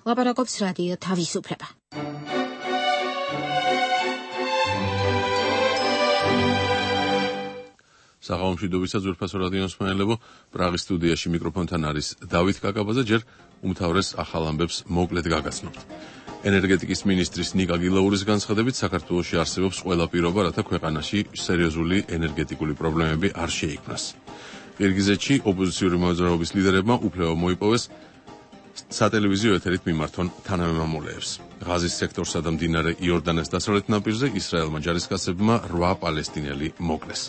ლაპარაკობს რადიო თავისუფლება. საღამომშვიდობისა ძვირფასო რადიო მსმენელებო, პრაღის სტუდიაში მიკროფონთან არის დავით კაკაბაძე, ჯერ უმთავრეს ახალ ამბებს მოკლედ გაგაცნობთ. ენერგეტიკის მინისტრის ნიკა გილაურის განცხადებით, საქართველოში არსებობს ყველა პირობა, რათა ქვეყანაში სერიოზული ენერგეტიკული პრობლემები არ შეიქმნას. ყირგიზეთში ოპოზიციური მოძრაობის ლიდერებმა უფლება მოიპოვეს სატელევიზიო ეთერით მიმართონ თანამემამულეებს. ღაზის სექტორსა და მდინარე იორდანეს დასავლეთ ნაპირზე ისრაელმა ჯარისკაცებმა 8 პალესტინელი მოკლეს.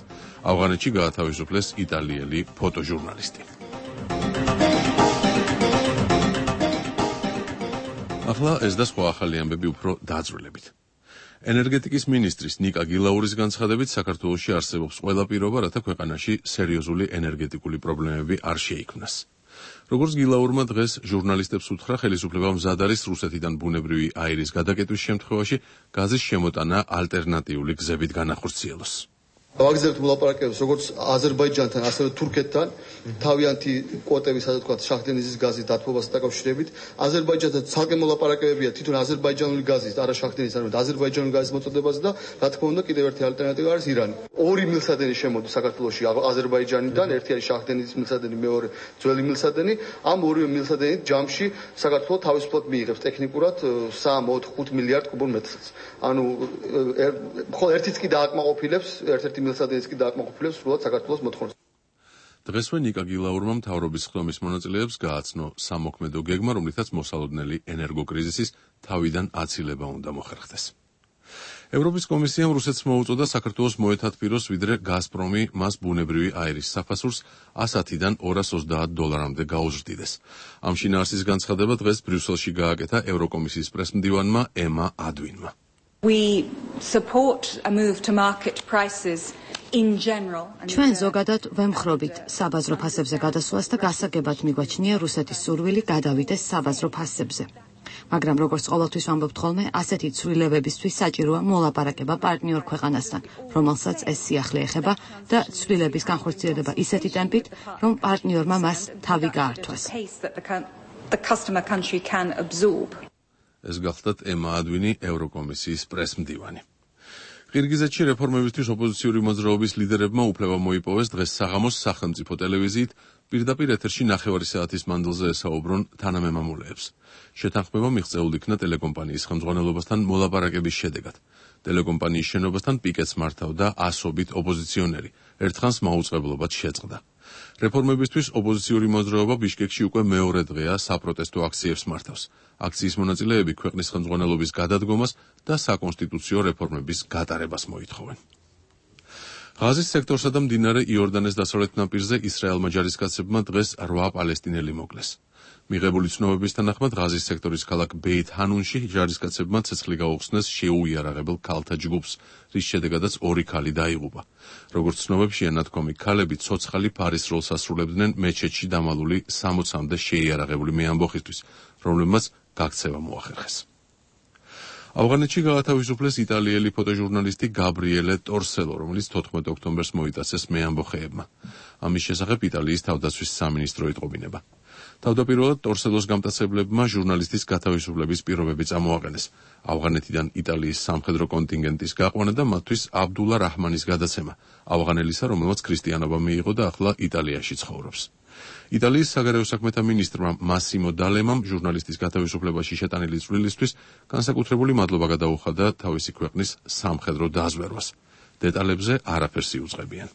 ავღანეთში გაათავისუფლეს იტალიელი ფოტოჟურნალისტი. ახლა ეს და სხვა ახალი ამბები უფრო დაძვრილებით. ენერგეტიკის მინისტრის ნიკა გილაურის განცხადებით, საქართველოში არსებობს ყველა პირობა, რათა ქვეყანაში სერიოზული ენერგეტიკული პრობლემები არ შეიქმნას. როგორც გილაურმა დღეს ჟურნალისტებს უთხრა, ხელისუფლება მზად არის რუსეთიდან ბუნებრივი აირის გადაკეტვის შემთხვევაში გაზის შემოტანა ალტერნატიული გზებით განახორციელოს. ვაგზავნებთ მოლაპარაკებებს როგორც აზერბაიჯანთან, ასევე თურქეთთან, თავიანთი კვოტების, ასე ვთქვათ, შახტენიზის გაზის დათბობასთან დაკავშირებით. აზერბაიჯანთან ცალკე მოლაპარაკებებია თვითონ აზერბაიჯანული გაზის, არა შახტენის, არამედ აზერბაიჯანული გაზის მოწოდებაზე და რა თქმა უნდა, კიდევ ერთი ალტერნატივა არის ირანი. ორი მილსადენი შემოდის საქართველოში აზერბაიჯანიდან, ერთი არის შახტენიზის მილსადენი, მეორე ძველი მილსადენი. ამ ორივე მილსადენით ჯამში საქართველოს თავისუფლად მიიღებს ტექნიკურად 3-4-5 მილიარდ კუბურ მეტრს. ანუ მხოლოდ ერთიც კი დააკმაყოფილებს, ერთ-ერთი მილსადენის კი დააკმაყოფილებს სრულად საქართველოს მოთხოვნას. დღესვე ნიკა გილაურმა მთავრობის ხდომის მონაწილეებს გააცნო სამოქმედო გეგმა, რომლითაც მოსალოდნელი ენერგოკრიზისის თავიდან აცილება უნდა მოხერხდეს. ევროპის კომისიამ რუსეთს მოუწოდა საქართველოს მოეთათბიროს, ვიდრე გაზპრომი მას ბუნებრივი აირის საფასურს $100-დან $230-მდე გაუზრდიდეს. ამ შინაარსის განცხადება დღეს ბრიუსელში გააკეთა ევროკომისიის პრესმდივანმა ემა ადვინმა. We support a move to market prices in general. ჩვენ ზოგადად ვემხრობით საბაზრო ფასებზე გადასვლას და გასაგებად მიგვაჩნია რუსეთის სურვილი გადავიდეს საბაზრო ფასებზე. მაგრამ როგორც ყოველთვის ვამბობთ ხოლმე, ასეთი ცვლილებებისთვის საჭიროა მოლაპარაკება პარტნიორ ქვეყანასთან, რომელსაც ეს სიახლე ეხება და ცვლილების განხორციელება ისეთი ტემპით, რომ პარტნიორმა მას თავი გაართვას. ეს გახლდათ ემა ადვინი, ევროკომისიის პრესმდივანი. ყირგიზეთში რეფორმებისთვის ოპოზიციური მოძრაობის ლიდერებმა უფლება მოიპოვეს დღეს საღამოს სახელმწიფო ტელევიზიით პირდაპირ ეთერში 9 საათის მანძილზე ესაუბრონ თანამემამულეებს. შეთანხმება მიღწეულ იქნა ტელეკომპანიის ხელმძღვანელობასთან მოლაპარაკების შედეგად. ტელეკომპანიის შენობასთან პიკეტს მართავდა ასობით ოპოზიციონერი, ერთხანს მაუწყებლობად შეწყდა. რეფორმებისთვის ოპოზიციური მოძრაობა ბიშკეკში უკვე მეორე დღეა საპროტესტო აქციებს მართავს. აქციის მონაწილეები ქვეყნის ხელმძღვანელობის გადადგომას და საკონსტიტუციო რეფორმების გატარებას მოითხოვენ. ღაზის სექტორსა და მდინარე იორდანეს დასავლეთ ნაპირზე ისრაელმა ჯარისკაცებმა დღეს 8 პალესტინელი მოკლეს. მიღებული ცნობების თანახმად ღაზის სექტორის ქალაქ ბეით-ჰანუნში ჯარისკაცებმა ცეცხლი გაუხსნეს შეუიარაღებელ ქალთა ჯგუფს, რის შედეგადაც 2 ქალი დაიღუპა. როგორც ცნობებშია ნათქვამი, ქალები ცოცხალი ფარის როლს ასრულებდნენ მეჩეთში დამალული 60-მდე შეიარაღებული მეამბოხისთვის, რომლებმაც გაქცევა მოახერხეს. ავღანეთში გაათავისუფლეს იტალიელი ფოტოჟურნალისტი გაბრიელე ტორსელო, რომელიც 14 ოქტომბერს მოიტაცეს მეამბოხეებმა. ამის შესახებ იტალიის თავდაცვის სამინისტრო იტყობინება. თავდაპირველად ტორსელოს გამტაცებლებმა ჟურნალისტის გათავისუფლების პირობები წამოაყენეს. ავღანეთიდან იტალიის სამხედრო კონტინგენტის გაყვანა და მათთვის აბდულა რაჰმანის გადაცემა, ავღანელისა, რომელმაც ქრისტიანობა მიიღო და ახლა იტალიაში ცხოვრობს. იტალიის საგარეო საქმეთა მინისტრმა მასიმო დალემამ ჟურნალისტის გათავისუფლებაში შეტანილი წვლილისთვის განსაკუთრებული მადლობა გადაუხადა თავისი ქვეყნის სამხედრო დაზვერვას. დეტალებზე არაფერს იუწყებიან.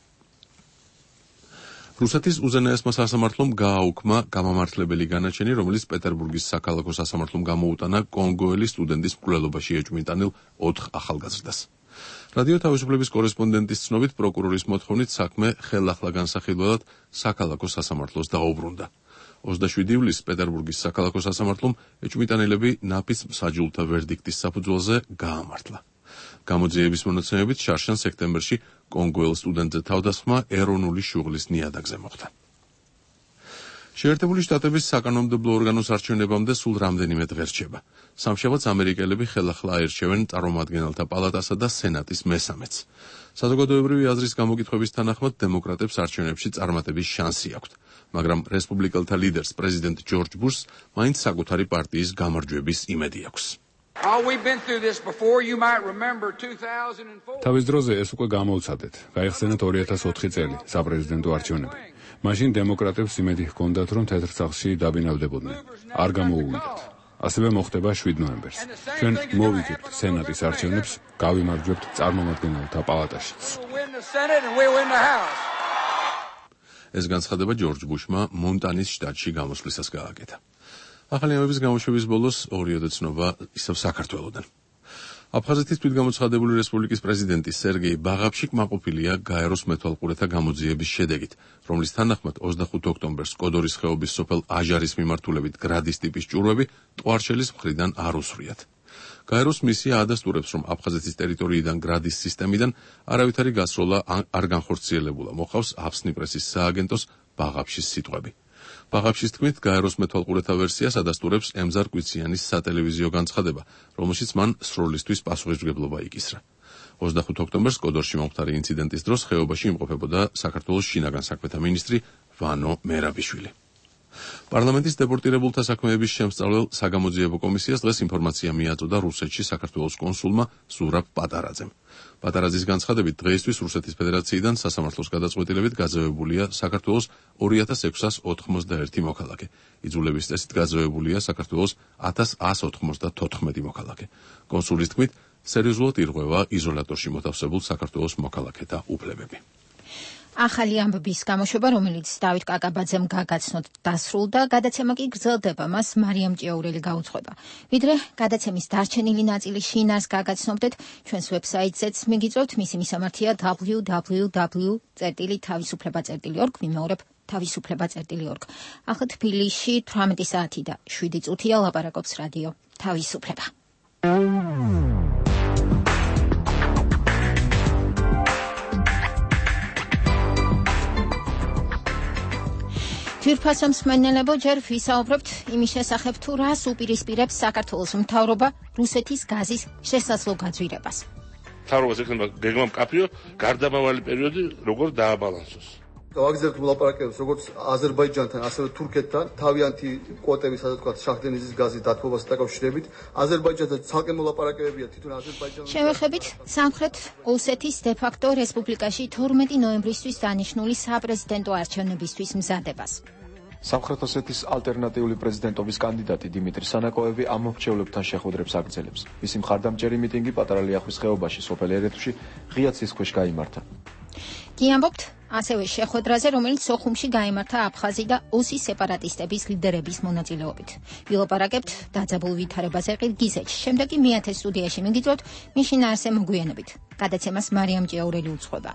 რუსეთის უზენაესმა სასამართლომ გააუქმა გამამართლებელი განაჩენი, რომელიც პეტერბურგის საქალაქო სასამართლომ გამოუტანა კონგოელი სტუდენტის მკვლელობაში ეჭვმიტანილ 4 ახალგაზრდას. რადიო თავისუფლების კორესპონდენტის ცნობით, პროკურორის მოთხოვნით საქმე ხელახლა განსახილველად საქალაქო სასამართლოს დაუბრუნდა. 27 ივლისს პეტერბურგის საქალაქო სასამართლომ ეჭვმიტანილები ნაფიც მსაჯულთა ვერდიქტის საფუძველზე გაამართლა. გამოძიების მონაცემებით შარშან სექტემბერში კონგოელ სტუდენტზე თავდასხმა ეროვნული შუღლის ნიადაგზე მოხდა. შეერთებული შტატების საკანონმდებლო ორგანოს არჩევნებამდე სულ რამდენიმე დღე რჩება. სამშაბათს ამერიკელები ხელახლა აირჩევენ წარმომადგენელთა პალატასა და სენატის მესამედს. საზოგადოებრივი აზრის გამოკითხვების თანახმად დემოკრატებს არჩევნებში წარმატების შანსი აქვთ, მაგრამ რესპუბლიკელთა ლიდერს პრეზიდენტ ჯორჯ ბუშს მაინც საკუთარი პარტიის გამარჯვების იმედი აქვს. თავის დროზე ეს უკვე გამოვცადეთ. გაიხსენეთ 2004 წელი, საპრეზიდენტო არჩევნები. მაშინ დემოკრატებს იმედი ჰქონდათ, რომ თეთრ სახლში დაბინავდებოდნენ. არ გამოუვიდათ. ასევე მოხდება 7 ნოემბერს. ჩვენ მოვიგებთ სენატის არჩევნებს, გავიმარჯვებთ წარმომადგენელთა პალატაშიც. ეს განცხადება ჯორჯ ბუშმა მონტანის შტატში გამოსვლისას გააკეთა. ახალი ამების გამოშვების ბოლოს ორიოდე ცნობა ისევ საქართველოდან. აფხაზეთის თვითგამოცხადებული რესპუბლიკის პრეზიდენტი სერგეი ბაღაფში კმაყოფილია გაეროს მეთვალყურეთა გამოძიების შედეგით, რომლის თანახმად 25 ოქტომბერს კოდორის ხეობის სოფელ აჟარის მიმართულებით გრადის ტიპის ჭურვები ტყუარჩელის მხრიდან არ უსვრიათ. გაეროს მისია ადასტურებს, რომ აფხაზეთის ტერიტორიიდან გრადის სისტემიდან არავითარი გასროლა არ განხორციელებულა, მოყავს აფსნიპრესის სააგენტოს ბაღაფშის სიტყვები. ბაღაფშის თქმით, გაეროს მეთვალყურეთა ვერსიას ადასტურებს ემზარ კვიციანის სატელევიზიო განცხადება, რომელშიც მან სროლისთვის პასუხისმგებლობა იკისრა. 25 ოქტომბერს კოდორში მომხდარი ინციდენტის დროს ხეობაში იმყოფებოდა საქართველოს შინაგან საქმეთა მინისტრი ვანო მერაბიშვილი. პარლამენტის დეპორტირებულთა საქმეების შემსწავლელ საგამოძიებო კომისიას დღეს ინფორმაცია მიაწოდა რუსეთში საქართველოს კონსულმა ზურაბ პატარაძემ. პატარაძის განცხადებით, დღეისთვის რუსეთის ფედერაციიდან სასამართლოს გადაწყვეტილებით გაძევებულია საქართველოს 2691 მოქალაქე. იძულების წესით გაძევებულია საქართველოს 1194 მოქალაქე. კონსულის თქმით, სერიოზულად ირღვევა იზოლატორში მოთავსებულ საქართველოს მოქალაქეთა უფლებები. ახალი ამბების გამოშვება, რომელიც დავით კაკაბაძემ გაგაცნოთ, დასრულდა, გადაცემა კი გრძელდება, მას მარიამ ჭიაურელი გაუძღვება. ვიდრე გადაცემის დარჩენილი ნაწილის შინაარს გაგაცნობდეთ, ჩვენს ვებსაიტზეც მიგიწევთ, მისი მისამართია www.თავისუფლება.org, ვიმეორებ თავისუფლება.org. ახლა თბილისში 18 საათი და 7 წუთია, ლაპარაკობს რადიო თავისუფლება. თვირფასო მსმენელებო, ჯერ ვისაუბრებთ იმის შესახებ, თუ რას უპირისპირებს საქართველოს მთავრობა რუსეთის გაზის შესაძლო გაძვირებას. მთავრობას ეკნება გეგმა მკაფიო, გარდამავალი პერიოდი როგორ დააბალანსოს. ვაგზავნებთ მოლაპარაკებებს როგორც აზერბაიჯანთან, ასევე თურქეთთან, თავიანთი კვოტები, სადაც თქვა შახტენიზის გაზის დათბობასთან დაკავშირებით. აზერბაიჯანთან ცალკე მოლაპარაკებებია თვითონ აზერბაიჯანის. შევეხებით სამხრეთ ოსეთის დე-ფაქტო რესპუბლიკაში 12 ნოემბრისთვის დანიშნული საპრეზიდენტო არჩევნებისთვის მზადებას. სამხრეთ ოსეთის ალტერნატიული პრეზიდენტობის კანდიდატი დიმიტრი სანაკოევი ამ მრჩევლებთან შეხვედრებს აგრძელებს. მისი მხარდამჭერი მიტინგი პატარა ლიახვის ხეობაში სოფელ ერეთუში ღია ცის ქვეშ გაიმართა. კი ამბობთ ასევე შეხვედრაზე, რომელიც სოხუმში გაიმართა აფხაზი და ოსის სეპარატისტების ლიდერების მონაწილეობით. ვილაპარაკებთ დაძაბულ ვითარებაზე ყირგიზეთში. შემდეგ კი მეათე სტუდიაში მიგიწევთ მის შინაარსზე მოგვიანებით. გადაცემას მარიამ ჭიაურელი უძღვება.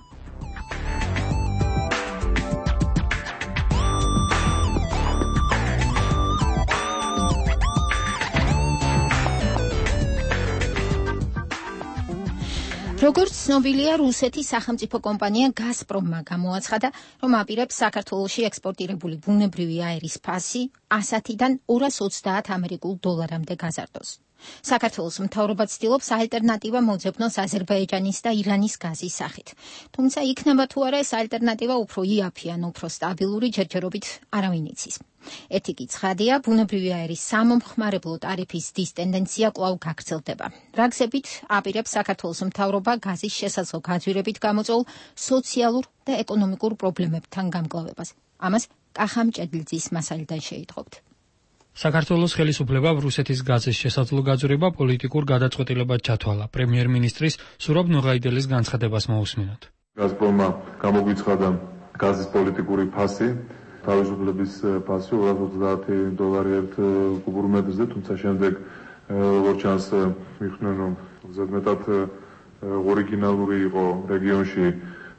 როგორც ცნობილია, რუსეთის სახელმწიფო კომპანია გაზპრომმა გამოაცხადა, რომ აპირებს საქართველოში ექსპორტირებული ბუნებრივი აირის ფასი 100-დან 230 ამერიკულ დოლარამდე გაზარდოს. საქართველოს მთავრობა ცდილობს ალტერნატივა მოძებნოს აზერბაიჯანის და ირანის გაზის სახით. თუმცა იქნება თუ არა ეს ალტერნატივა უფრო იაფი ან უფრო სტაბილური, ჯერჯერობით არავინ იცის. ეთიკი ცხადია, ბუნებრივი აირის სამომხმარებლო ტარიფის დის ტენდენცია კვლავ გაგრძელდება. რა გზებით აპირებს საქართველოს მთავრობა გაზის შესაძლო გაძვირებით გამოწვეულ სოციალურ და ეკონომიკურ პრობლემებთან გამკლავებას. ამას კახამ ჭედლიძის მასალიდან შეიტყობთ. საქართველოს ხელისუფლებამ რუსეთის გაზის შესაძლო გაძვირება პოლიტიკურ გადაწყვეტილებად ჩათვალა. პრემიერ-მინისტრის სურაბ ნოღაიდელის განცხადებას მოусმინოთ. გაზპრომმა გამოგვიცხადა გაზის პოლიტიკური ფასი, თავისუფლების ფასი 230 დოლარი ერთ კუბურ მეტრზე, თუმცა შემდეგ როგორც ჩანს მიხდნენ, რომ ზედმეტად ორიგინალური იყო რეგიონში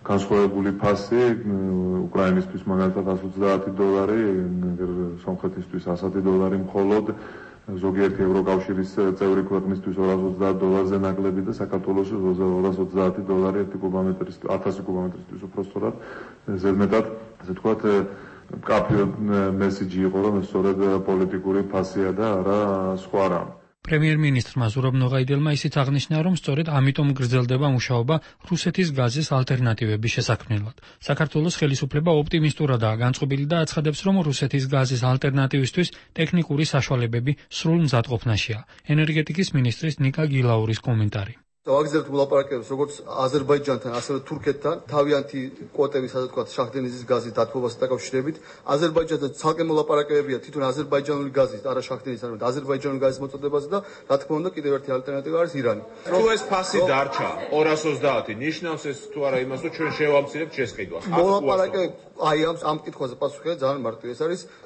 განსხვავებული ფასი, უკრაინისთვის მაგალითად 130 დოლარი, სომხეთისთვის 100 დოლარი მხოლოდ, ზოგიერთი ევროკავშირის წევრი ქვეყნისთვის 230 დოლარზე ნაკლები და საქართველოს 230 დოლარი 1 კუბომეტრისთვის, 1000 კუბომეტრისთვის უფრო სწორად, ზედმეტად, ასე ვთქვათ, მკაფიო მესიჯი იყო, რომ ეს სწორედ პოლიტიკური ფასია და არა სხვა რამ. პრემიერ-მინისტრმა ზურაბ ნოღაიდელმა ისიც აღნიშნა, რომ სწორედ ამიტომ გრძელდება მუშაობა რუსეთის გაზის ალტერნატივების შესაქმნელად. საქართველოს ხელისუფლება ოპტიმისტურადაა განწყობილი და აცხადებს, რომ რუსეთის გაზის ალტერნატივისთვის ტექნიკური საშუალებები სრულ მზადყოფნაშია. ენერგეტიკის მინისტრის ნიკა გილაურის კომენტარი. ვაგრძელებთ მოლაპარაკებებს როგორც აზერბაიჯანთან, ასევე თურქეთთან, თავიანთი კვოტების, ასე ვთქვათ, შახტენიზის გაზის დათბობასთან დაკავშირებით. აზერბაიჯანთან ცალკე მოლაპარაკებებია თვითონ აზერბაიჯანული გაზის, არა შახტენის, არამედ აზერბაიჯანული გაზის მოწოდებაზე და რა თქმა უნდა, კიდევ ერთი ალტერნატივა არის ირანი. თუ ეს ფასი დარჩა 220, ნიშნავს ეს თუ არა იმას, რომ ჩვენ შევამცირებთ შესყიდვას. მოლაპარაკებები აი ამ კითხვაზე პასუხია ძალიან მარტივი.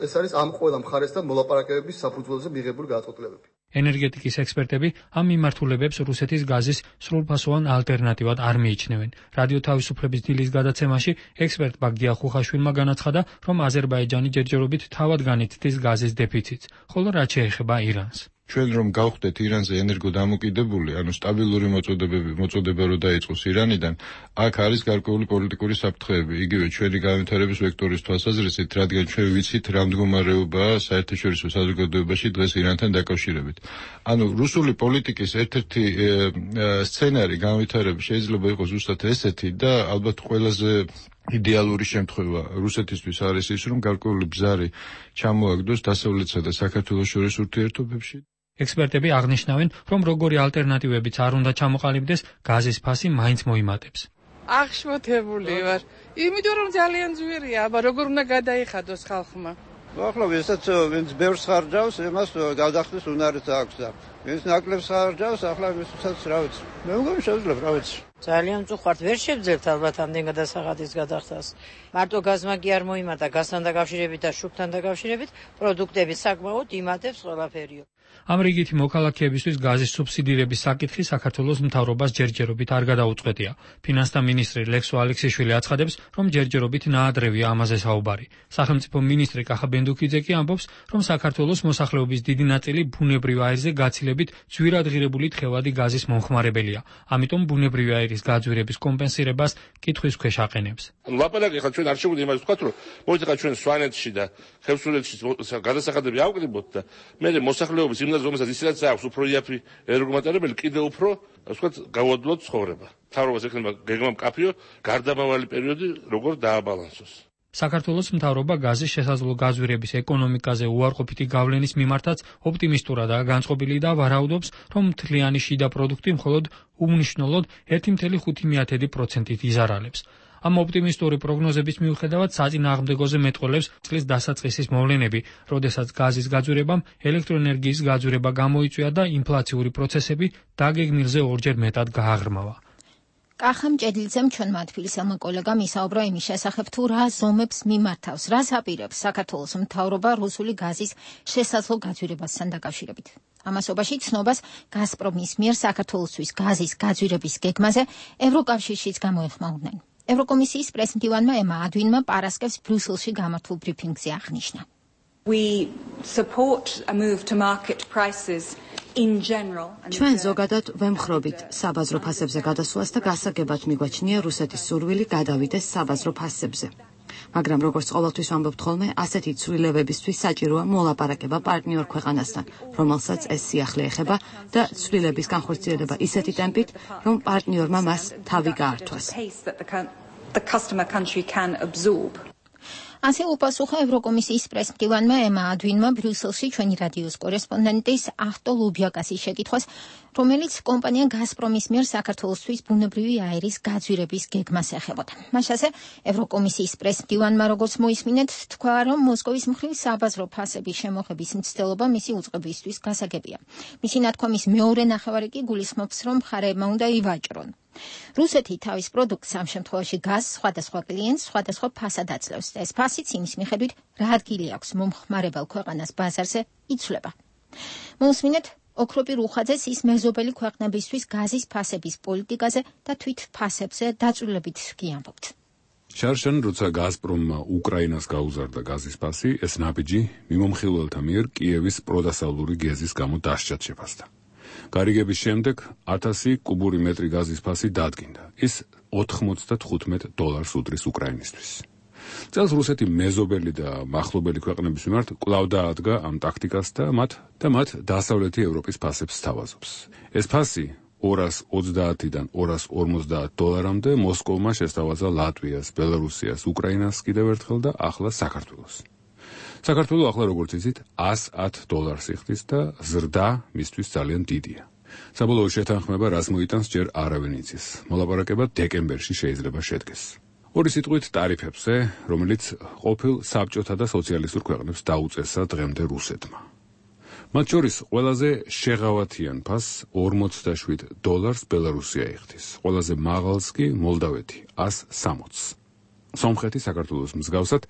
ეს არის ამ ყველა მხარესთან მოლაპარაკებების საფუძველზე მიღებული გადაწყვეტილებები. ენერგეტიკის ექსპერტები ამ მიმართულებებს რუსეთის გაზის სრულფასოვან ალტერნატივად არ მიიჩნევენ. რადიო თავისუფლების დილის გადაცემაში ექსპერტმა გია ხუხაშვილმა განაცხადა, რომ აზერბაიჯანი ჯერჯერობით თავად განიცდის გაზის დეფიციტს, ხოლო რაც შეეხება ირანს. ჩვენ რომ გავხდეთ ირანზე ენერგოდამოკიდებული, ანუ სტაბილური მოწოდება რო დაიწყოს ირანიდან, აქ არის გარკვეული პოლიტიკური საფრთხეები, იგივე ჩვენი განვითარების ვექტორის თვალსაზრისით, რადგან ჩვენ ვიცით რა მდგომარეობაა საერთაშორისო საზოგადოებაში დღეს ირანთან დაკავშირებით. ანუ რუსული პოლიტიკის ერთ-ერთი სცენარი განვითარების შეიძლება იყოს ზუსტად ესეთი და ალბათ ყველაზე იდეალური შემთხვევა რუსეთისთვის არის ის, რომ გარკვეული ბზარი ჩამოაგდოს დასავლეთსა და საქართველოს შორის ურთიერთობებში. ექსპერტები აღნიშნავენ, რომ როგორი ალტერნატივებიც არ უნდა ჩამოყალიბდეს, გაზის ფასი მაინც მოიმატებს. აღშფოთებული ვარ, იმიტომ რომ ძალიან ძვირია, აბა როგორ უნდა გადაიხადოს ხალხმა. ახლა ვისაც ვინც ბევრს ხარჯავს, იმას გადახდის უნარიც აქვს და ვინც ნაკლებს ხარჯავს, ახლა ვისაც რა ვიცი. მე მგონი შეძლებ, რა ვიცი. ძალიან მწუხართ, ვერ შევძლებთ ალბათ ამდენ გადასახადის გადახდას. მარტო გაზმა კი არ მოიმატა, გაზთან დაკავშირებით და შუქთან დაკავშირებით პროდუქტები საკმაოდ იმატებს ყველაფერიო. ამ რიგითი მოქალაქეებისთვის გაზის სუბსიდირების საკითხი საქართველოს მთავრობას ჯერჯერობით არ გადაუწყვეტია. ფინანსთა მინისტრი ლექსო ალექსიშვილი აცხადებს, რომ ჯერჯერობით ნაადრევია ამაზე საუბარი. სახელმწიფო მინისტრი კახა ბენდუქიძე კი ამბობს, რომ საქართველოს მოსახლეობის დიდი ნაწილი ბუნებრივ აირზე გაცილებით ძვირადღირებული თხევადი გაზის მომხმარებელია. ამიტომ ბუნებრივი აირის გაძვირების კომპენსირებას კითხვის ქვეშ აყენებს. ლაპარაკი ხა ჩვენ არ შეგვიძლია იმას ვთქვათ, რომ მოიცა ჩვენ სვანეთში და ხევსურეთში გადასახადები ავკრიბოთ და მე მოსახლეობის იმ რომელსაც ისედაც აქვს უფრო იაფი ენერგომატარებელი, კიდევ უფრო, ასე ვთქვათ, გავადლოთ ცხოვრება. მთავრობას ექნება გეგმა მკაფიო გარდამავალი პერიოდი როგორ დააბალანსოს. საქართველოს მთავრობა გაზის შესაძლო გაძვირების ეკონომიკაზე უარყოფითი გავლენის მიმართაც ოპტიმისტურადაა განწყობილი და ვარაუდობს, რომ მთლიანი შიდა პროდუქტი მხოლოდ უმნიშვნელოდ 1,5%-ით იზარალებს. ამ ოპტიმისტური პროგნოზების მიუხედავად საწინააღმდეგოზე მეტყველებს წლის დასაწყისის მოვლენები, როდესაც გაზის გაძვირებამ ელექტროენერგიის გაძვირება გამოიწვია და ინფლაციური პროცესები დაგეგმილზე ორჯერ მეტად გააღრმავა. კახამ ჭედლიძემ ჩვენმა თბილისელმა კოლეგამ ისაუბრა იმის შესახებ, თუ რა ზომებს მიმართავს, რას აპირებს საქართველოს მთავრობა რუსული გაზის შესაძლო გაძვირებასთან დაკავშირებით. ამასობაში ცნობას გაზპრომის მიერ საქართველოსთვის გაზის გაძვირების გეგმაზე ევროკავშირშიც გამოეხმაურნენ. ევროკომისიის პრესმდივანმა ემა ადვინმა პარასკევს ბრიუსელში გამართულ ბრიფინგზე აღნიშნა. We support a move to market prices in general. ჩვენ ზოგადად ვემხრობით საბაზრო ფასებზე გადასვლას და გასაგებად მიგვაჩნია რუსეთის სურვილი გადავიდეს საბაზრო ფასებზე. მაგრამ როგორც ყოველთვის ვამბობთ ხოლმე, ასეთი ცვლილებებისთვის საჭიროა მოლაპარაკება პარტნიორ ქვეყანასთან, რომელსაც ეს სიახლე ეხება და ცვლილების განხორციელება ისეთი ტემპით, რომ პარტნიორმა მას თავი გაართვას. ასე უპასუხა ევროკომისიის პრესმდივანმა ემა ადვინმა ბრიუსელში ჩვენი რადიოს კორესპონდენტის ახტო ლუბიაკასის შეკითხვას, რომელიც კომპანია გაზპრომის მიერ საქართველოსთვის ბუნებრივი აირის გაძვირების გეგმას ეხებოდა. მას ასე ევროკომისიის პრესმდივანმა, როგორც მოისმინეთ, თქვა, რომ მოსკოვის მხრივ საბაზრო ფასების შემოღების მცდელობა მისი უწყებისთვის გასაგებია. მისი ნათქვამის მეორე ნახევარი კი გულისხმობს, რომ მხარეებმა უნდა ივაჭრონ. რუსეთი თავის პროდუქტს ამ შემთხვევაში გაზს სხვადასხვა კლიენტს სხვადასხვა ფასად აძლევს და ეს ფასიც იმის მიხედვით, რა ადგილი აქვს მომხმარებელ ქვეყანას ბაზარზე, იცვლება. მოусმინეთ ოქროპი რუხაძეს ის მეზობელი ქვეყნებისთვის გაზის ფასების პოლიტიკაზე და თვით ფასებზე დაწვრილებით კი ამბობთ. შარშან, როცა გაზპრომმა უკრაინას გაუზარდა გაზის ფასი, ეს ნაბიჯი მიმომხილველთა მიერ კიევის პროდასავლური გეზის გამო დასჯად შეფასდა. გარიგების შემდეგ 1000 კუბური მეტრი გაზის ფასი დადგინდა. ის $95 უდრის უკრაინისთვის. წელს რუსეთი მეზობელი და მახლობელი ქვეყნების მიმართ კვლავ დაადგა ამ ტაქტიკას და მათ დასავლეთი ევროპის ფასებს სთავაზობს. ეს ფასი 230-დან 250 დოლარამდე მოსკოვმა შესთავაზა ლატვიას, ბელარუსიას, უკრაინას კიდევ ერთხელ და ახლა საქართველოს. საქართველოს ახლა როგორც იცით $110 იხდის და ზრდა მისთვის ძალიან დიდია. საბოლოო შეთანხმება რას მოიტანს ჯერ არავინ იცის. მოლაპარაკება დეკემბერში შეიძლება შედგეს. ორი სიტყვით ტარიფებზე, რომელიც ყოფილ საბჭოთა და სოციალისტურ ქვეყნებს დაუწესა დღემდე რუსეთმა. მათ შორის ყველაზე შეღავათიან ფასს $47 ბელარუსია იხდის. ყველაზე მაღალს კი მოლდავეთი $160. სომხეთი საქართველოს მსგავსად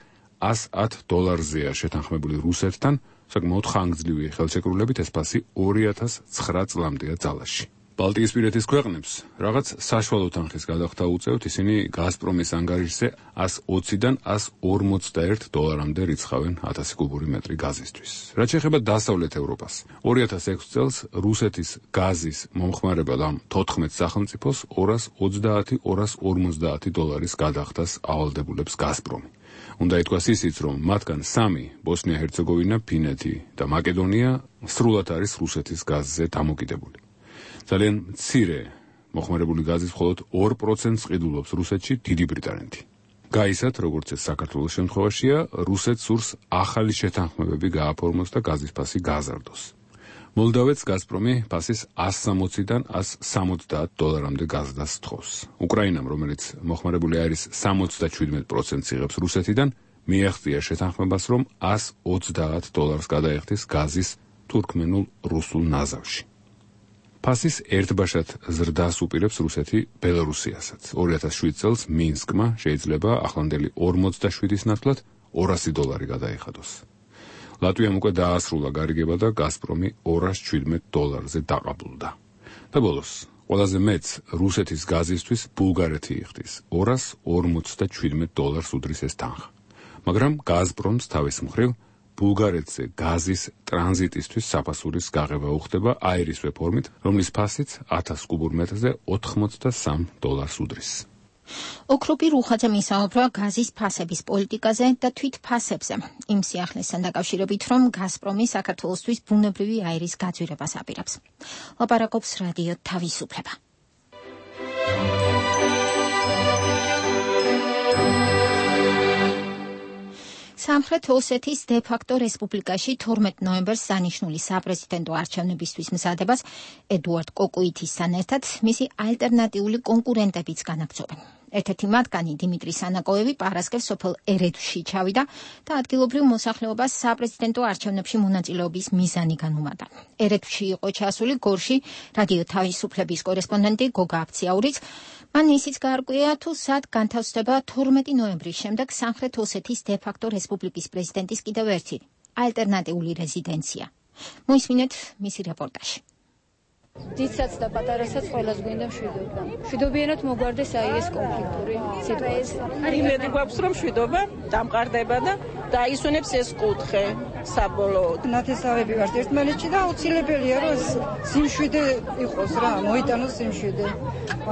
$110-ზეა შეთანხმებული რუსეთთან, საკმაოდ ხანგრძლივი ხელშეკრულებით ეს ფასი 2009 წლამდეა ძალაში. ბალტიისპირეთის ქვეყნებს რაღაც საშუალო თანხის გადახდა უწევთ, ისინი გაზპრომის ანგარიშზე $120-დან $151-მდე რიცხავენ 1000 კუბური მეტრი გაზისთვის. რაც შეეხება დასავლეთ ევროპას, 2006 წელს რუსეთის გაზის მომხმარებელ ამ 14 სახელმწიფოს $230-250 გადახდას ავალდებულებს გაზპრომი. უნდა ითქვას ისიც, რომ მათგან 3 ბოსნია-ჰერცეგოვინა, ფინეთი და მაკედონია სრულად არის რუსეთის გაზზე დამოკიდებული. ძალიან მცირე მოხმარებული გაზის მხოლოდ 2%-ს ყიდულობს რუსეთში დიდი ბრიტანეთი. გაისად, როგორც ეს საქართველოს შემთხვევაშია, რუსეთს სურს ახალი შეთანხმებები გააფორმოს და გაზის ფასი გააზარდოს. მოლდავეთს გაზპრომი ფასის $160-დან $170-მდე გაზდას თხოვს. უკრაინამ, რომელიც მოხმარებული არის 77%-ს იღებს რუსეთიდან, მიაღწია შეთანხმებას, რომ $130 გადაეხდის გაზის თურქმენულ-რუსულ ნაზავში. ფასის ერთბაშად ზრდას უპირებს რუსეთი ბელარუსიასაც. 2007 წელს მინსკმა შეიძლება ახლანდელი 47-ის ნაცვლად $200 გადაიხადოს. ლატვიამ უკვე დაასრულა გარიგება და გაზპრომი $217-ზე დაყაბულდა. და ბოლოს, ყველაზე მეც რუსეთის გაზისთვის ბულგარეთი იხდის. $257 უდრის ეს თანხა. მაგრამ გაზპრომს თავის მხრივ ბულგარეთზე გაზის ტრანზიტისთვის საფასურის გაღება უხდება აირისვე ფორმით, რომლის ფასიც 1000 კუბურ მეტრზე $83 უდრის. ოქროპი რუხაძემ ისაუბრა გაზის ფასების პოლიტიკაზე და თვით ფასებზე. იმ სიახლესთან დაკავშირებით, რომ გაზპრომი საქართველოსთვის ბუნებრივი აირის გაძვირებას აპირებს. ლაპარაკობს რადიო თავისუფლება. სამხრეთ ოსეთის დე-ფაქტო რესპუბლიკაში 12 ნოემბერს დანიშნული საპრეზიდენტო არჩევნებისთვის მზადებას ედუარდ კოკუითისთან ერთად მისი ალტერნატიული კონკურენტებიც განაგრძობენ. ერთ-ერთი მათგანი დიმიტრი სანაკოევი პარასკევს სოფელ ერედვში ჩავიდა და ადგილობრივ მოსახლეობას საპრეზიდენტო არჩევნებში მონაწილეობის მიზანი განუმარტა. ერედვში იყო ჩასული გორში რადიო თავისუფლების კორესპონდენტი გოგა აფციაურიც. მან ისიც გაარკვია, თუ სად განთავსდება 12 ნოემბრის შემდეგ სამხრეთ ოსეთის დე-ფაქტო რესპუბლიკის პრეზიდენტის კიდევ ერთი ალტერნატიული რეზიდენცია. მოისმინეთ მისი რეპორტაჟი. დიდსაც და პატარასაც ყველას გვინდა მშვიდობა. მშვიდობიანად მოგვარდეს აი ეს კონფლიქტური სიტუაცია. იმედი გვაქვს, რომ მშვიდობა დამყარდება და დაისვენებს ეს კუთხე საბოლოოდ. ნათესავები ვართ ერთმანეთში და აუცილებელია, რომ სიმშვიდე იყოს რა, მოიტანოს სიმშვიდე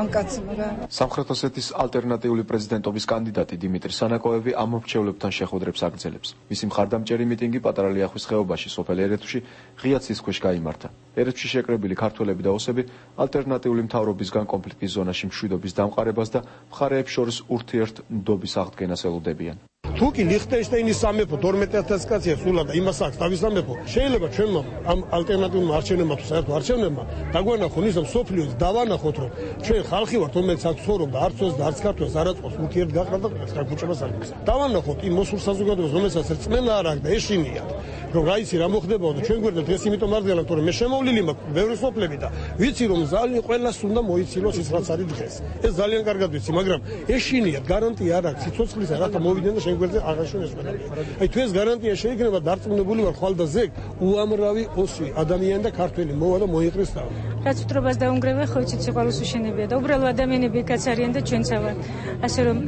ამ კაცმა რა. სამხრეთ ოსეთის ალტერნატიული პრეზიდენტობის კანდიდატი დიმიტრი სანაკოევი ამ მრჩევლებთან შეხვედრებს აგრძელებს. მისი მხარდამჭერი მიტინგი პატარა ლიახვის ხეობაში სოფელ ერედვში ღია ცის ქვეშ გაიმართა. ერედვში შეკრებილი ქართველები და ოსები ალტერნატიული მთავრობისგან კონფლიქტის ზონაში მშვიდობის დამყარებას და მხარეებს შორის ურთიერთმდობის აღდგენას ელოდებიან. თუ კი ლიხტენშტაინის სამეფო 12000 კაცია სულა და იმას აქვს თავის სამეფო, შეიძლება ჩვენმა ამ ალტერნატიულმა არჩევნებმა თუ საერთო არჩევნებმა დაგვანახონ ის მსოფლიოს დავანახოთ, რომ ჩვენ ხალხი ვართ, რომელიც აქ ცხოვრობდა, არც ოს და არც ქართველს არ აწყობს ურთიერთგაყრა და გაგუჭებას არ გის. დავანახოთ იმ მოსულ საზოგადოებას, რომელსაც რწმენა არ აქვს და ეშინიათ, რომ რა იცი რა მოხდებოდა და ჩვენ გვერდით ეს იმიტომ არ ძლევთ, რომ მე შემოვლილი მაქვს ბევრი სოფლები და ვიცი რომ ძალიან ყველას უნდა მოიცილოს ის რაც არის დღეს. ეს ძალიან კარგად ვიცი, მაგრამ ეშინიათ გარანტია არ აქვს სიცოცხლისა, რათა მოვიდნენ და ჩვენ გვერდზე აღაშენეს ყველაფერი. აი თუ ეს გარანტია შეიქმნება, დარწმუნებული ვარ ხვალ და ზეგ უამრავი ოსი ადამიანი და ქართველი მოვა და მოიყრეს თავი. რაც უტრობას დაუნგრევა, ხო იცით სიყვარულს უშენებია და უბრალო ადამიანები კაც არიან და ჩვენც ვართ. ასე რომ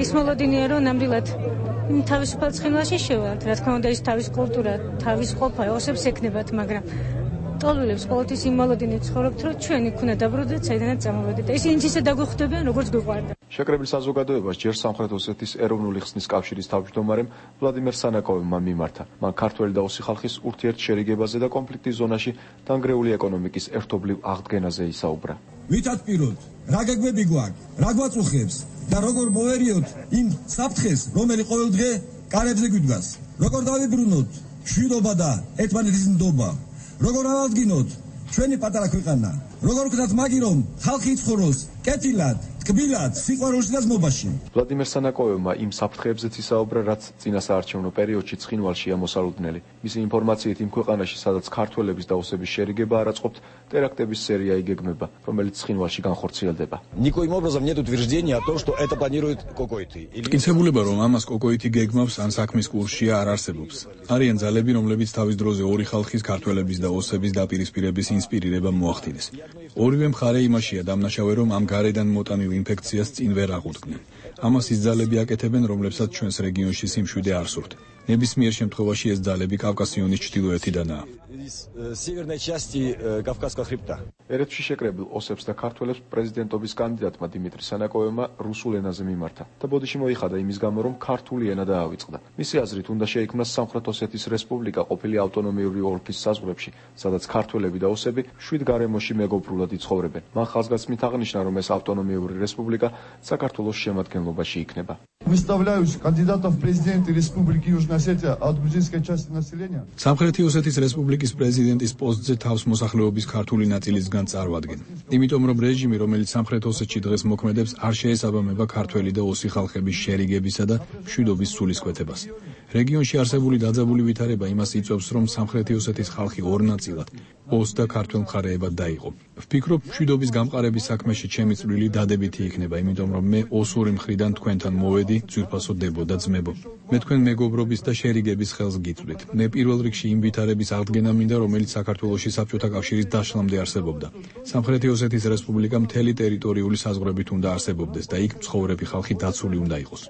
ის მოლოდინია რომ ნამდვილად თავისუფალ ცხენაში შევალთ. რა თქმა უნდა ის თავის კულტურა, თავის ყოფა ოსებს ეკნებათ, მაგრამ ტყავილებს ყოველთვის იმალოდინე ცხოვრობთ, რომ ჩვენი ქუნა დაბრუნდეთ, საიდანაც წამოვედით. და ისინი ისე დაგვხვდებიან, როგორც გვიყვარდა. შეკრებილ საზოგადოებას ჯერ სამხრეთ ოსეთის ეროვნული ხსნის კავშირის თავმჯდომარემ ვლადიმერ სანაკოვმა მიმართა. მან ქართველი და ოსი ხალხის ურთიერთშერიგებაზე და კონფლიქტის ზონაში დანგრეული ეკონომიკის ერთობლივ აღდგენაზე ისაუბრა. ვითად პიროთ, რა გეგმები გვაქვს, რა გვაწუხებს და როგორ მოვერიოთ იმ საფრთხეს, რომელიც ყოველ დღე კარებზე გვიდგას. როგორ დავიბრუნოთ მშვიდობა და ერთმანეთის ნდობა. როგორ ავადგინოთ ჩვენი პატარა ქვეყანა. როგორ ვქნათ მაგი რომ ხალხი იცხოვროს კეთილად, თკბილად, სიყვარულში და ზმობაში. ვლადიმერ სანაკოვმა იმ საფრთხეებზეც ისაუბრა, რაც წინასაარჩევნო პერიოდში ცხინვალშია მოსალოდნელი. მისი ინფორმაციით იმ ქვეყანაში, სადაც ქართველების და ოსების შერიგება არ აწყობთ, ტერაქტების სერია იგეგმება, რომელიც ცხინვალში განხორციელდება. Никоим образом нет утверждения о том, что это планирует Кокоити. მტკიცებულება, რომ ამას კოკოიტი გეგმავს, ან საქმის კურსშია არ არსებობს. არიან ძალები, რომლებიც თავის დროზე ორი ხალხის, ქართველების და ოსების დაპირისპირების ინსპირირება მოახდინეს. ორივე მხარე იმაშია დამნაშავე, რომ ამ გარედან მოტანილ ინფექციას წინ ვერ აღუდგნენ. ამას ის ძალები აკეთებენ, რომლებსაც ჩვენს რეგიონში სიმშვიდე არ სურთ. ნებისმიერ შემთხვევაში ეს ძალები კავკასიონის ჩრდილოეთიდანაა. Северной части Кавказского хребта. ერეთში შეკრებილ ოსებს და ქართველებს პრეზიდენტობის კანდიდატმა დიმიტრი სანაკოვმა რუსულ ენაზე მიმართა და ბოდიში მოიხადა იმის გამო, რომ ქართული ენა დაავიწყდა. მისი აზრით, უნდა შეიქმნას სამხრეთ ოსეთის რესპუბლიკა ყოფილი ავტონომიური ოლქის საზღვრებში, სადაც ქართველები და ოსები შვიდ გარემოში მეგობრულად იცხოვრებენ. მან ხაზგასმით აღნიშნა, რომ ეს ავტონომიური რესპუბლიკა საქართველოს შემადგენლობაში იქნება. Выставляюсь кандидатом в президенты Республики Южная Осетия от грузинской части населения. სამხრეთი ოსეთის რესპუბლიკის პრეზიდენტის პოსტზე თავს მოსახლეობის ქართული ნაწილისგან წარვადგენ. იმიტომ რომ რეჟიმი, რომელიც სამხრეთ ოსეთში დღეს მოქმედებს, არ შეესაბამება ქართველი და ოსი ხალხების შერიგებისა და მშვიდობის სულისკვეთებას. რეგიონში არსებული დაძაბული ვითარება იმას იწვევს, რომ სამხრეთი ოსეთის ხალხი ორ ნაწილად, ოს და ქართველ მხარეებად დაიყო. ვფიქრობ, მშვიდობის გამყარების საქმეში ჩემი წვლილი დადებითი იქნება, იმიტომ რომ მე ოსური მხრიდან თქვენთან მოვედი, ძვირფასო დებო და ძმებო. მე თქვენ მეგობრობის და შერიგების ხელს გიწვდით. მე პირველ რიგში იმ ვითარების აღდგენა მინდა, რომელიც საქართველოში საბჭოთა კავშირის დაშლამდე არსებობდა. სამხრეთი ოსეთის რესპუბლიკა მთელი ტერიტორიული საზღვრებით უნდა არსებობდეს და იქ მცხოვრები ხალხი დაცული უნდა იყოს.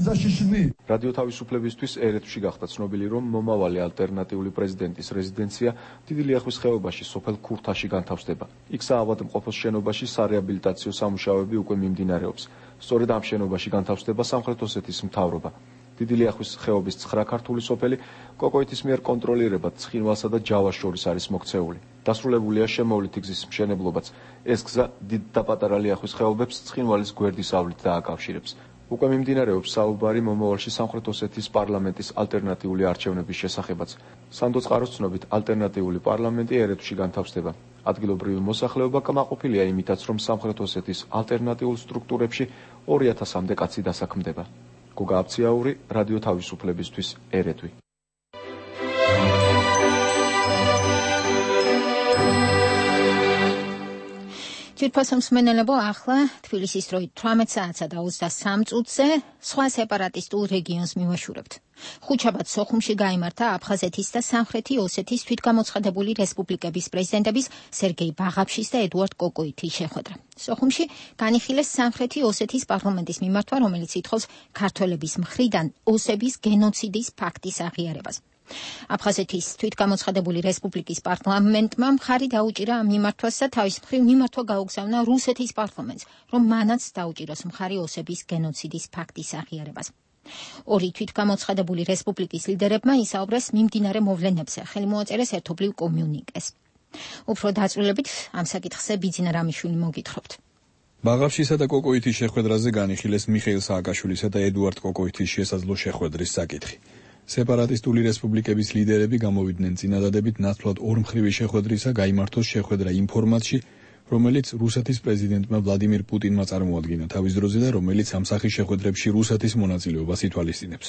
რადიო თავისუფლებისთვის ერეთში გახდა ცნობილი, რომ მომავალი ალტერნატიული პრეზიდენტის რეზიდენცია დიდი ლიახვის ხეობაში სოფელ ქურთაში განთავსდება. იქ საავადმყოფოს შენობაში სარეაბილიტაციო სამუშაოები უკვე მიმდინარეობს. სწორედ ამ შენობაში განთავსდება სამხრეთ ოსეთის მთავრობა. დიდი ლიახვის ხეობის 9 ქართული სოფელი კოკოიტის მიერ კონტროლირებად ცხინვალსა და ჯავას შორის არის მოქცეული. დასრულებულია შემოვლითი გზის მშენებლობაც. ეს გზა დიდ და პატარა ლიახვის ხეობებს ცხინვალის გვერდის ავლით დააკავშირებს. უკვე მიმდინარეობს საუბარი მომავალში სამხრეთ ოსეთის პარლამენტის ალტერნატიული არჩევნების შესახებაც. სანდო წყაროს ცნობით, ალტერნატიული პარლამენტი ერეთში განთავსდება. ადგილობრივი მოსახლეობა კმაყოფილია იმითაც, რომ სამხრეთ ოსეთის ალტერნატიულ სტრუქტურებში 2000-მდე კაცი დასაქმდება. გოგა აბციაური, რადიო თავისუფლებისთვის, ერეთვი. ძვირფასო მსმენელებო, ახლა თბილისის დროით 18 საათსა და 23 წუთზე სხვა სეპარატისტულ რეგიონს მივაშურებთ. ხუთშაბათ სოხუმში გაიმართა აფხაზეთის და სამხრეთი ოსეთის თვითგამოცხადებული რესპუბლიკების პრეზიდენტების სერგეი ბაღაფშის და ედუარდ კოკოიტის შეხვედრა. სოხუმში განიხილეს სამხრეთი ოსეთის პარლამენტის მიმართვა, რომელიც ითხოვს ქართველების მხრიდან ოსების გენოციდის ფაქტის აღიარებას. აფხაზეთის თვითგამოცხადებული რესპუბლიკის პარლამენტმა მხარი დაუჭირა ამ მიმართვას და თავის მხრივ მიმართვა გაუგზავნა რუსეთის პარლამენტს, რომ მანაც დაუჭიროს მხარი ოსების გენოციდის ფაქტის აღიარებას. ორი თვითგამოცხადებული რესპუბლიკის ლიდერებმა ისაუბრეს მიმდინარე მოვლენებზე, ხელი მოაწერეს ერთობლივ კომიუნიკეს. უფრო დაწვრილებით ამ საკითხზე ბიძინა რამიშვილი მოგითხრობთ. ბაღაფშისა და კოკოიტის შეხვედრაზე განიხილეს მიხეილ სააკაშვილისა და ედუარდ კოკოიტის შესაძლო შეხვედრის საკითხი. სეპარატისტული რესპუბლიკების ლიდერები გამოვიდნენ წინადადებით ნაცვლად ორმხრივი შეხვედრისა გაიმართოს შეხვედრა იმ ფორმატში, რომელიც რუსეთის პრეზიდენტმა ვლადიმირ პუტინმა წარმოადგინა თავის დროზე და რომელიც ამ სახის შეხვედრებში რუსეთის მონაწილეობას ითვალისწინებს.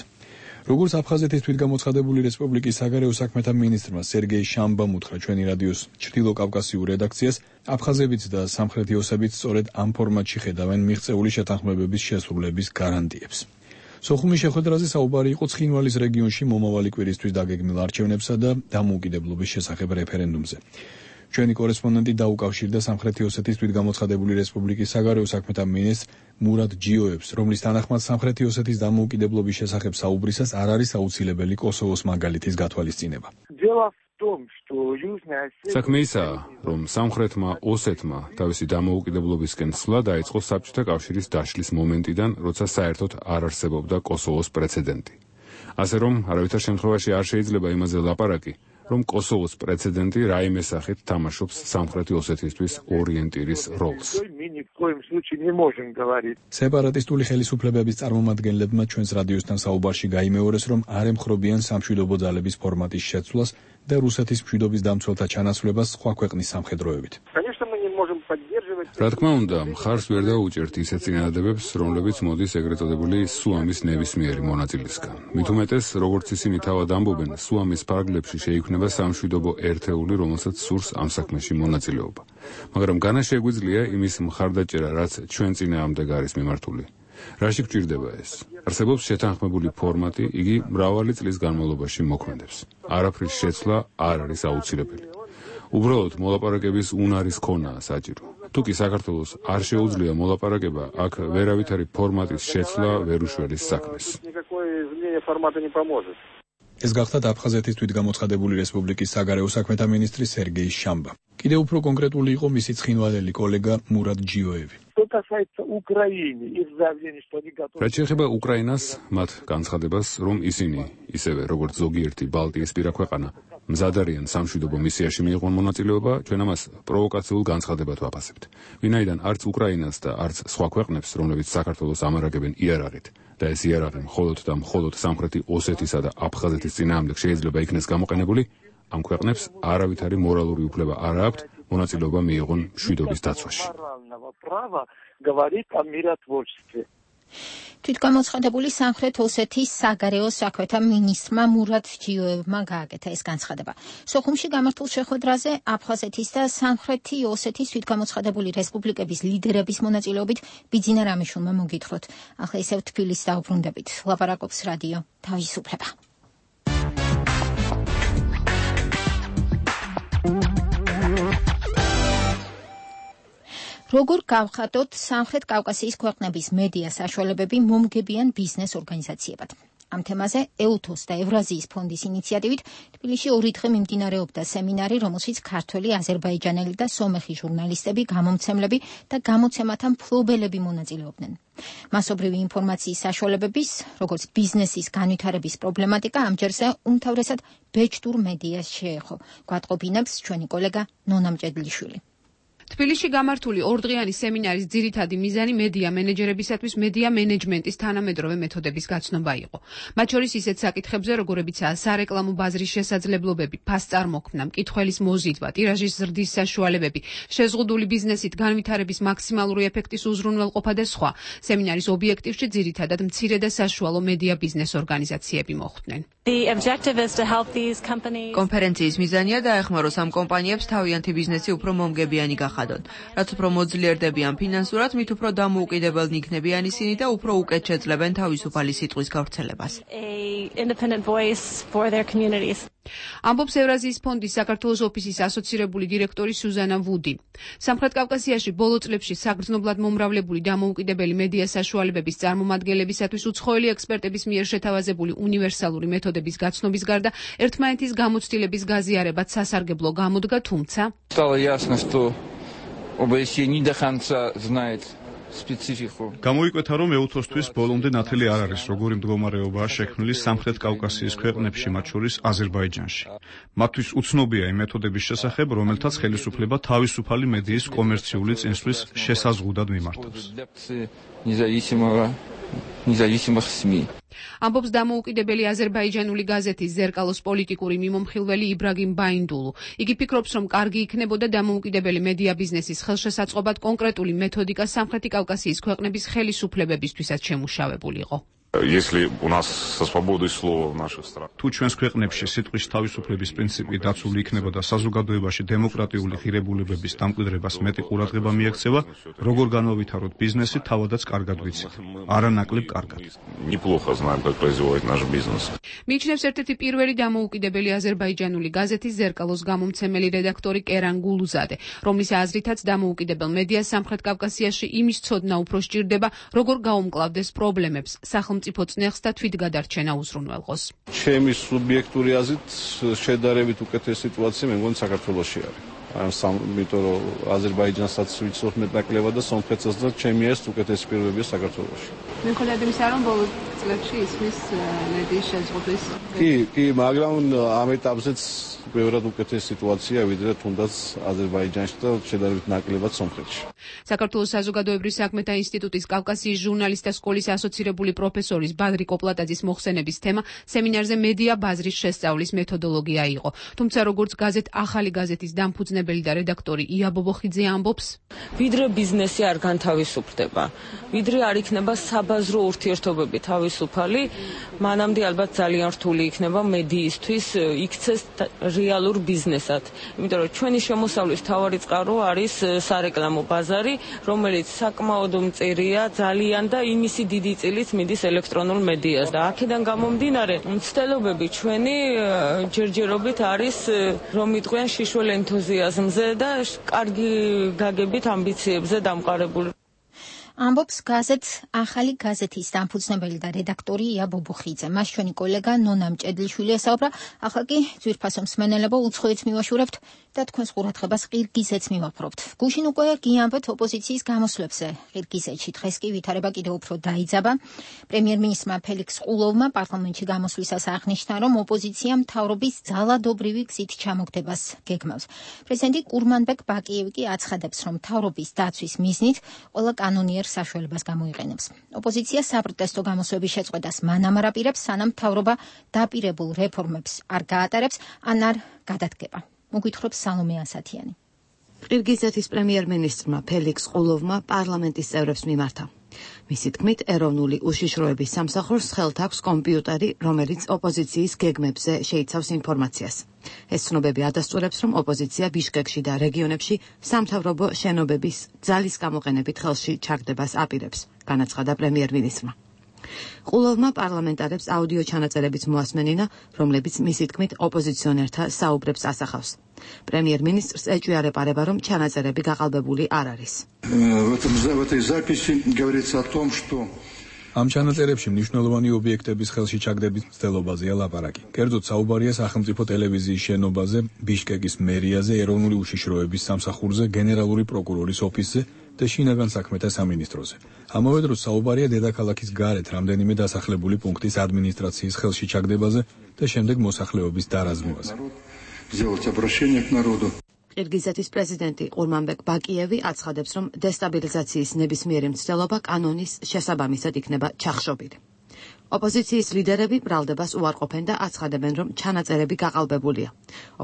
როგორც აფხაზეთის თვითგამოცხადებული რესპუბლიკის საგარეო საქმეთა მინისტრმა სერგეი შამბამ უთხრა ჩვენი რადიოს ჩრდილოკავკასიურ რედაქციას, აფხაზებიც და სამხრეთი ოსებიც სწორედ ამ ფორმატში ხედავენ მიღწეული შეთანხმებების შესრულების გარანტიებს. სოხუმის შეხვედრაზე საუბარი იყო ცხინვალის რეგიონში მომავალი კვირისთვის დაგეგმილ არჩევნებსა და დამოუკიდებლობის შესახებ რეფერენდუმზე. ჩვენი კორესპონდენტი დაუკავშირდა სამხრეთი ოსეთის თვითგამოცხადებული რესპუბლიკის საგარეო საქმეთა მინისტრ მურად ჯიოევს, რომლის თანახმად სამხრეთი ოსეთის დამოუკიდებლობის შესახებ საუბრისას არ არის აუცილებელი კოსოვოს მაგალითის გათვალისწინება. Дело в საქმე ისაა, რომ სამხრეთმა ოსეთმა თავისი დამოუკიდებლობისკენ სვლა დაიწყო საბჭოთა კავშირის დაშლის მომენტიდან, როცა საერთოდ არ არსებობდა კოსოვოს პრეცედენტი. ასე რომ, არავითარ შემთხვევაში არ შეიძლება იმაზე ლაპარაკი, რომ კოსოვოს პრეცედენტი რაიმე სახით თამაშობს სამხრეთი ოსეთისთვის ორიენტირის როლს. სეპარატისტული ხელისუფლებების წარმომადგენლებმა ჩვენს რადიოსთან საუბარში გაიმეორეს, რომ არ ემხრობიან სამშვიდობო ძალების ფორმატის შეცვლას და რუსეთის მშვიდობის დამცველთა ჩანაცვლებას სხვა ქვეყნის სამხედროებით. რა თქმა უნდა, მხარს ვერ დაუჭერთ ისეთ წინადადებებს, რომლებიც მოდის ეგრეთ წოდებული სუამის ნებისმიერი მონაწილისგან. მით უმეტეს, როგორც ისინი თავად ამბობენ, სუამის ფარგლებში შეიქმნება სამშვიდობო ერთეული, რომელსაც სურს ამ საქმეში მონაწილეობა. მაგრამ განა შეგვიძლია იმის მხარდაჭერა, რაც ჩვენ წინააღმდეგ არის მიმართული. რაში გვჭირდება ეს? არსებობს შეთანხმებული ფორმატი, იგი მრავალი წლის განმავლობაში მოქმედებს. არაფრის შეცვლა არ არის აუცილებელი. უბრალოდ მოლაპარაკების უნარის ქონაა საჭირო. თუ კი საქართველოს არ შეუძლია მოლაპარაკება, აქ ვერავითარი ფორმატის შეცვლა ვერ უშველის საქმეს. ეს გახლავთ აფხაზეთის თვითგამოცხადებული რესპუბლიკის საგარეო საქმეთა მინისტრი სერგეი შამბა. კიდევ უფრო კონკრეტული იყო მისი ცხინვალელი კოლეგა მურად ჯიოევი. რაც შეეხება უკრაინას, მათ განცხადებას, რომ ისინი, ისევე როგორც ზოგიერთი ბალტიისპირა ქვეყანა, მზად არიან სამშვიდობო მისიაში მიიღონ მონაწილეობა, ჩვენ ამას პროვოკაციულ განცხადებად ვაფასებთ. ვინაიდან არც უკრაინას და არც სხვა ქვეყნებს, რომლებიც საქართველოს ამარაგებენ იარაღით, და ეს იარაღი მხოლოდ და მხოლოდ სამხრეთი ოსეთისა და აფხაზეთის წინააღმდეგ შეიძლება იქნეს გამოყენებული, ამ ქვეყნებს არავითარი მორალური უფლება არ აქვთ მონაწილეობა მიიღონ მშვიდობის დაცვაში. თვითგამოცხადებული სამხრეთ ოსეთის საგარეო საქმეთა მინისტრმა მურად ჯიოევმა გააკეთა ეს განცხადება. სოხუმში გამართულ შეხვედრაზე აფხაზეთის და სამხრეთი ოსეთის თვითგამოცხადებული რესპუბლიკების ლიდერების მონაწილეობით ბიძინა რამიშვილმა მოგითხროთ. ახლა ისევ თბილისს დაუბრუნდებით. ლაპარაკობს რადიო თავისუფლება. როგორ გავხატოთ სამხრეთ კავკასიის ქვეყნების მედია საშუალებები მომგებიან ბიზნეს ორგანიზაციებად. ამ თემაზე ეუთოს და ევრაზიის ფონდის ინიციატივით თბილისში 2 დღე მიმდინარეობდა სემინარი, რომელშიც ქართველი, აზერბაიჯანელი და სომეხი ჟურნალისტები, გამომცემლები და გამოცემათა მფლობელები მონაწილეობდნენ. მასობრივი ინფორმაციის საშუალებების, როგორც ბიზნესის განვითარების პრობლემატიკა ამჯერზე უმთავრესად ბეჭდურ მედიას შეეხო. გვატყობინებს ჩვენი კოლეგა ნონა მჭედლიშვილი. თბილისში გამართული 2 დღიანი სემინარის ძირითადი მიზანი მედია მენეჯერებისათვის მედია მენეჯმენტის თანამედროვე მეთოდების გაცნობა იყო. მათ შორის ისეთ საკითხებზე, როგორებიცაა სარეკლამო ბაზრის შესაძლებლობები, ფასწარმოქმნა, მკითხველის მოზიდვა, ტირაჟის ზრდის საშუალებები, შეზღუდული ბიზნესით განვითარების მაქსიმალური ეფექტის უზრუნველყოფა და სხვა. სემინარის ობიექტივში ძირითადად მცირე და საშუალო მედია ბიზნეს ორგანიზაციები მოხვდნენ. კონფერენციის მიზანია დაეხმაროს ამ კომპანიებს თავიანთი ბიზნესი უფრო მომგებიანი გახადონ. რაც უფრო მოძლიერდებიან ფინანსურად, მით უფრო დამოუკიდებელნი იქნებიან ისინი და უფრო უკეთ შეძლებენ თავისუფალი სიტყვის გავრცელებას. ამბობს ევრაზიის ფონდის საქართველოს ოფისის ასოცირებული დირექტორი სუზანა ვუდი. სამხრეთ კავკასიაში ბოლო წლებში საგრძნობლად მომრავლებული დამოუკიდებელი მედია საშუალებების წარმომადგენლებისათვის უცხოელი ექსპერტების მიერ შეთავაზებული უნივერსალური მეთოდების გაცნობის გარდა ერთმანეთის გამოცდილების გაზიარებაც სასარგებლო გამოდგა, თუმცა გამოიკვეთა, რომ ეუთოსთვის ბოლომდე ნათელი არ არის, როგორი მდგომარეობაა შექმნილი სამხრეთ კავკასიის ქვეყნებში, მათ შორის აზერბაიჯანში. მათთვის უცნობია იმ მეთოდების შესახებ, რომელთაც ხელისუფლება თავისუფალი მედიის კომერციული წინსვლის შესაზღუდად მიმართავს. ამბობს დამოუკიდებელი აზერბაიჯანული გაზეთის ზერკალოს პოლიტიკური მიმომხილველი იბრაგიმ ბაინდულუ. იგი ფიქრობს, რომ კარგი იქნებოდა დამოუკიდებელი მედია ბიზნესის ხელშესაწყობად კონკრეტული მეთოდიკა სამხრეთი კავკასიის ქვეყნების ხელისუფლებებისთვისაც შემუშავებულიყო. თუ ჩვენს ქვეყნებში სიტყვის თავისუფლების პრინციპი დაცული იქნება და საზოგადოებაში დემოკრატიული ღირებულებების დამკვიდრებას მეტი ყურადღება მიექცევა, როგორ განავითაროთ ბიზნესი, თავადაც კარგად ვიცით. არანაკლებ კარგად. მიიჩნევს ერთ-ერთი პირველი დამოუკიდებელი აზერბაიჯანული გაზეთის ზერკალოს გამომცემელი რედაქტორი კერან გულუზადე, რომლის აზრითაც დამოუკიდებელ მედიას სამხრეთ კავკასიაში იმის ცოდნა უფრო სჭირდება, როგორ გაუმკლავდეს პრობლემებს, სახელმწიფო სახელმწიფო წნეხს და თვითგადარჩენა უზრუნველყოს. ჩემი სუბიექტური აზრით შედარებით უკეთესი სიტუაცია მე მგონი საქართველოში არის. იმიტომ რომ აზერბაიჯანსაც ვიცნობ მეტნაკლებად და სომხეთსაც და ჩემი ეს უკეთესი პირობებია საქართველოში. მიუხედავად იმისა, რომ ბოლო წლებში ისმის მედიის შეზღუდვის. კი, მაგრამ ამ ეტაპზეც ბევრად უკეთესი სიტუაცია ვიდრე თუნდაც აზერბაიჯანში და შედარებით ნაკლებად სომხეთში. საქართველოს საზოგადოებრივი საქმეთა ინსტიტუტის კავკასიის ჟურნალისტთა სკოლის ასოცირებული პროფესორის ბადრი კოპლატაძის მოხსენების თემა სემინარზე მედია ბაზრის შესწავლის მეთოდოლოგია იყო. თუმცა როგორც გაზეთ ახალი გაზეთის დამფუძნებელი და რედაქტორი ია ბობოხიძე ამბობს, ვიდრე ბიზნესი არ განთავისუფლდება, ვიდრე არ იქნება საბაზრო ურთიერთობები თავისუფალი, მანამდე ალბათ ძალიან რთული იქნება მედიისთვის იქცეს რეალურ ბიზნესად. იმიტომ რომ ჩვენი შემოსავლის მთავარი წყარო არის სარეკლამო ბაზარი, რომელიც საკმაოდ მწირია ძალიან და იმისი დიდი წილით მიდის ელექტრონულ მედიას. და აქედან გამომდინარე, მცდელობები ჩვენი ჯერჯერობით არის რომ იყვნენ შიშველ ენთუზიაზმზე და კარგი გაგებით ამბიციებზე დამყარებული. ამბობს გაზეთ ახალი გაზეთის დამფუძნებელი და რედაქტორი ია ბობოხიძე. მას ჩვენი კოლეგა ნონა მჭედლიშვილი ესაუბრა. ახლა კი ძვირფასო მსმენელებო უცხოეთს მივაშურებთ და თქვენს ყურადღებას ყირგიზეთს მივაფრობთ. გუშინ უკვე გიამბეთ ოპოზიციის გამოსვლებზე. ყირგიზეთში დღეს კი ვითარება კიდევ უფრო დაიძაბა. პრემიერ-მინისტრმა ფელიქს ყულოვმა პარლამენტში გამოსვლისას აღნიშნა, რომ ოპოზიცია მთავრობის ძალადობრივი გზით ჩამოგდებას გეგმავს. პრეზიდენტი კურმანბეკ ბაკიევი კი აცხადებს, რომ მთავრობის დაცვის მიზნით ყველა კანონიერ საშუალებას გამოიყენებს. ოპოზიცია საპროტესტო გამოსვლების შეწყვეტას მანამ არ აპირებს, სანამ მთავრობა დაპირებულ რეფორმებს არ გაატარებს ან არ გადადგება. მოგვითხრობს სალომე ასათიანი. ყირგიზეთის პრემიერ-მინისტრმა ფელიქს ყულოვმა პარლამენტის წევრებს მიმართა. მისი თქმით, ეროვნული უშიშროების სამსახურს ხელთ აქვს კომპიუტერი, რომელიც ოპოზიციის გეგმებზე შეიცავს ინფორმაციას. ეს ცნობები ადასტურებს, რომ ოპოზიცია ბიშკეკში და რეგიონებში სამთავრობო შენობების ძალის გამოყენებით ხელში ჩაგდებას აპირებს, განაცხადა პრემიერ-მინისტრმა. ყულოვმა პარლამენტარებს აუდიო ჩანაწერებიც მოასმენინა, რომლებიც მისი თქმით ოპოზიციონერთა საუბრებს ასახავს. პრემიერ-მინისტრს ეჭვია არეპარება, რომ ჩანაწერები გაყალბებული არ არის. ამ ჩანაწერებში მნიშვნელოვანი ობიექტების ხელში ჩაგდების მცდელობაზეა ლაპარაკი. კერძოდ საუბარია სახელმწიფო ტელევიზიის შენობაზე, ბიშკეკის მერიაზე, ეროვნული უშიშროების სამსახურზე, გენერალური პროკურორის ოფისზე და შინაგან საქმეთა სამინისტროზე. ამავე დროს საუბარია დედაქალაქის გარეთ რამდენიმე დასახლებული პუნქტის ადმინისტრაციის ხელში ჩაგდებაზე და შემდეგ მოსახლეობის დარაზმვაზე. ყირგიზეთის პრეზიდენტი ყურმანბეკ ბაკიევი აცხადებს, რომ დესტაბილიზაციის ნებისმიერი მცდელობა კანონის შესაბამისად იქნება ჩახშობილი. ოპოზიციის ლიდერები ბრალდებას უარყოფენ და აცხადებენ, რომ ჩანაწერები გაყალბებულია.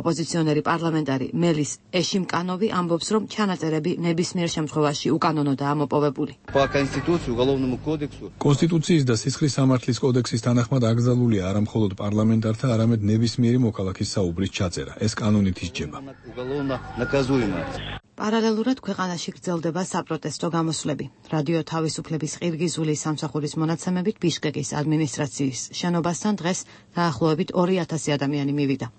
ოპოზიციონერი პარლამენტარი მელის ეშიმკანოვი ამბობს, რომ ჩანაწერები ნებისმიერ შემთხვევაში უკანონოდაა მოპოვებული. კონსტიტუციის და სისხლის სამართლის კოდექსის თანახმად აკრძალულია არა მხოლოდ პარლამენტართა, არამედ ნებისმიერი მოქალაქის საუბრის ჩაწერა. ეს კანონით ისჯება. პარალელურად ქვეყანაში გრძელდება საპროტესტო გამოსვლები. რადიო თავისუფლების ყირგიზული სამსახურის მონაცემებით ბიშკეკის ადმინისტრაციის შენობასთან დღეს დაახლოებით 2000 ადამიანი მივიდა.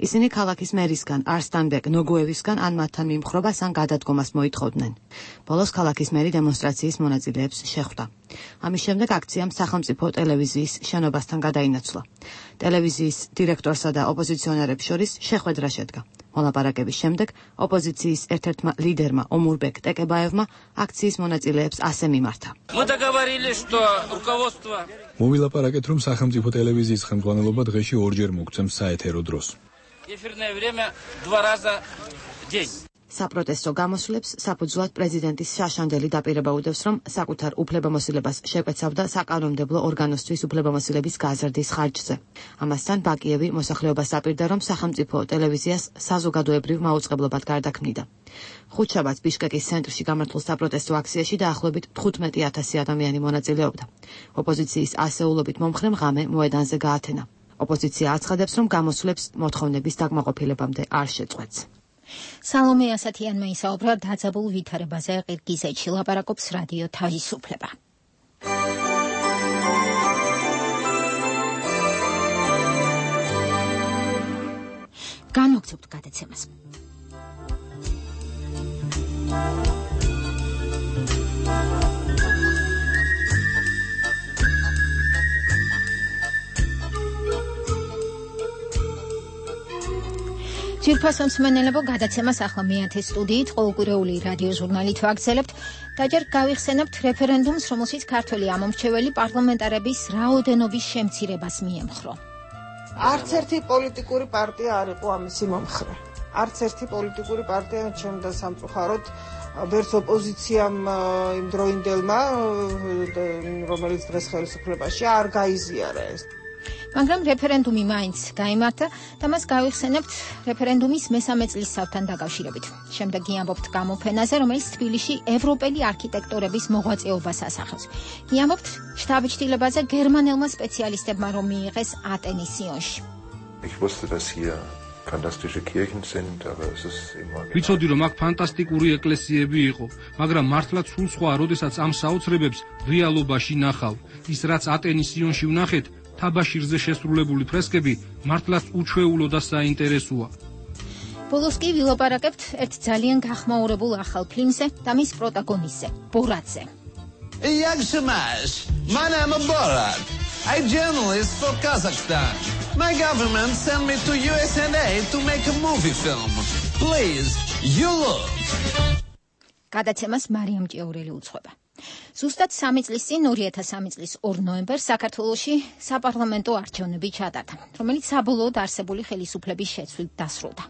ისინი ქალაქის მერისგან არსტანბეკ ნოგუევისგან ან მათთან მიმხრობას ან გადადგომას მოითხოვდნენ. ბოლოს ქალაქის მერი დემონსტრაციის მონაწილეებს შეხვდა. ამის შემდეგ აქციამ სახელმწიფო ტელევიზიის შენობასთან გადაინაცვლა. ტელევიზიის დირექტორსა და ოპოზიციონერებს შორის შეხვედრა შედგა. მოლაპარაკების შემდეგ ოპოზიციის ერთ-ერთმა ლიდერმა ომურბეკ ტეკებაევმა აქციის მონაწილეებს ასე მიმართა. მოვილაპარაკეთ, რომ სახელმწიფო ტელევიზიის ხელმძღვანელობა დღეში ორჯერ მოგცემს საეთერო დროს. საპროტესტო გამოსვლებს საფუძვლად პრეზიდენტის შაშანდელი დაპირება უდევს, რომ საკუთარ უფლებამოსილებას შეკვეცავდა საკანონმდებლო ორგანოსთვის უფლებამოსილების გაზრდის ხარჯზე. ამასთან ბაკიევი მოსახლეობას აპირდა, რომ სახელმწიფო ტელევიზიას საზოგადოებრივ მაუწყებლობად გარდაქმნიდა. ხუთშაბათს ბიშკეკის ცენტრში გამართულ საპროტესტო აქციაში დაახლოებით 15000 ადამიანი მონაწილეობდა. ოპოზიციის ასეულობით მომხრემ ღამე მოედანზე გაათენა. ოპოზიცია აცხადებს, რომ გამოსვლებს მოთხოვნების დაკმაყოფილებამდე არ შეწყვეტს. სალომე ასათიანმა ისაუბრა დაძაბულ ვითარებაზე ყირგიზეთში, ლაპარაკობს რადიო თავისუფლება. განვაგრძობთ გადაცემას. ძირფასო მსმენელებო, გადაცემას ახლა მეათე სტუდიით ყოველკვირეული რადიო ჟურნალით ვაგრძელებთ და ჯერ გავიხსენებთ რეფერენდუმს, რომელშიც ქართველი ამომრჩეველი პარლამენტარების რაოდენობის შემცირებას მიემხრო. არც ერთი პოლიტიკური პარტია არ იყო ამისი მომხრე. არც ერთი პოლიტიკური პარტია ჩემდა სამწუხაროდ ვერც ოპოზიციამ იმ დროინდელმა, რომელიც დღეს ხელისუფლებაში არ გაიზიარა ეს. მაგრამ რეფერენდუმი მაინც გაიმართა და მას გავიხსენებთ რეფერენდუმის მესამე წლისთავთან დაკავშირებით. შემდეგ გიამბობთ გამოფენაზე, რომელიც თბილისში ევროპელი არქიტექტორების მოღვაწეობას ასახავს. გიამბობთ შტაბ-ჩრდილებაზე გერმანელმა სპეციალისტებმა რომ მიიღეს ატენის სიონში. ვიცოდი რომ აქ ფანტასტიკური ეკლესიები იყო, მაგრამ მართლაც სულ სხვა, როდესაც ამ საოცრებებს რეალობაში ნახავ. ის რაც ატენის სიონში ვნახეთ, თაბაშირზე შესრულებული ფრესკები მართლაც უჩვეულო და საინტერესოა. ბოლოს კი ვილაპარაკებთ ერთ ძალიან გახმაურებულ ახალ ფილმზე და მის პროტაგონისტზე, ბორატზე. Yakshamash, my name is Borat. I'm journalist for Kazakhstan. My government sent me to USA to make a movie film. Please, you look. გადაცემას მარიამ ჭიაურელი უძღვება. ზუსტად 3 წლის წინ 2003 წლის 2 ნოემბერს საქართველოში საპარლამენტო არჩევნები ჩატარდა, რომელიც საბოლოოდ არსებული ხელისუფლების შეცვლით დასრულდა.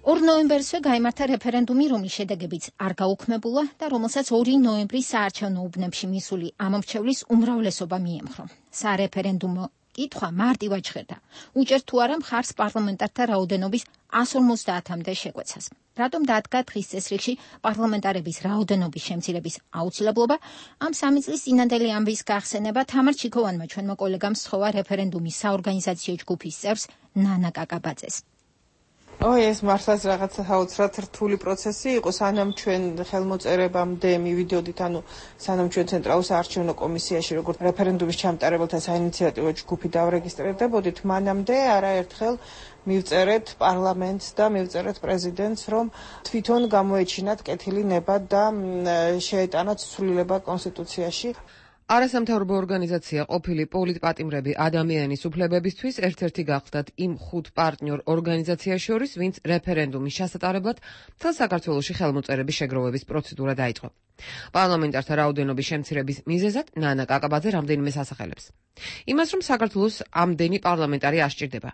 2 ნოემბერსვე გაიმართა რეფერენდუმი, რომლის შედეგებიც არ გაუქმებულა და რომელსაც 2 ნოემბრის საარჩევნო უბნებში მისული ამომრჩევლის უმრავლესობა მიემხრო. სარეფერენდუმო კითხვა მარტივად ჟღერდა. უჭერთ თუ არა მხარს პარლამენტართა რაოდენობის 150-მდე შეკვეცას. რატომ დადგა დღის წესრიგში პარლამენტარების რაოდენობის შემცირების აუცილებლობა? ამ 3 წლის წინანდელი ამბის გახსენება თამარ ჩიქოვანმა ჩვენმა კოლეგამ სთხოვა რეფერენდუმის საორგანიზაციო ჯგუფის წევრს ნანა კაკაბაძეს. ეს მართლაც რაღაცა საოცრად რთული პროცესი იყო, სანამ ჩვენ ხელმოწერებამდე მივიდოდით, სანამ ჩვენ ცენტრალურ საარჩევნო კომისიაში როგორც რეფერენდუმის ჩამტარებელთა საინიციატივო ჯგუფი დავრეგისტრირდებოდით, მანამდე არაერთხელ მივწერეთ პარლამენტს და მივწერეთ პრეზიდენტს, რომ თვითონ გამოეჩინათ კეთილი ნება და შეეტანათ ცვლილება კონსტიტუციაში. არასამთავრობო ორგანიზაცია ყოფილი პოლიტპატიმრები ადამიანის უფლებებისთვის ერთ-ერთი გახლდათ იმ 5 პარტნიორ ორგანიზაციას შორის, ვინც რეფერენდუმის ჩასატარებლად მთელ საქართველოში ხელმოწერების შეგროვების პროცედურა დაიწყო. პარლამენტართა რაოდენობის შემცირების მიზეზად ნანა კაკაბაძე რამდენიმეს ასახელებს. იმას, რომ საქართველოს ამდენი პარლამენტარი არ სჭირდება,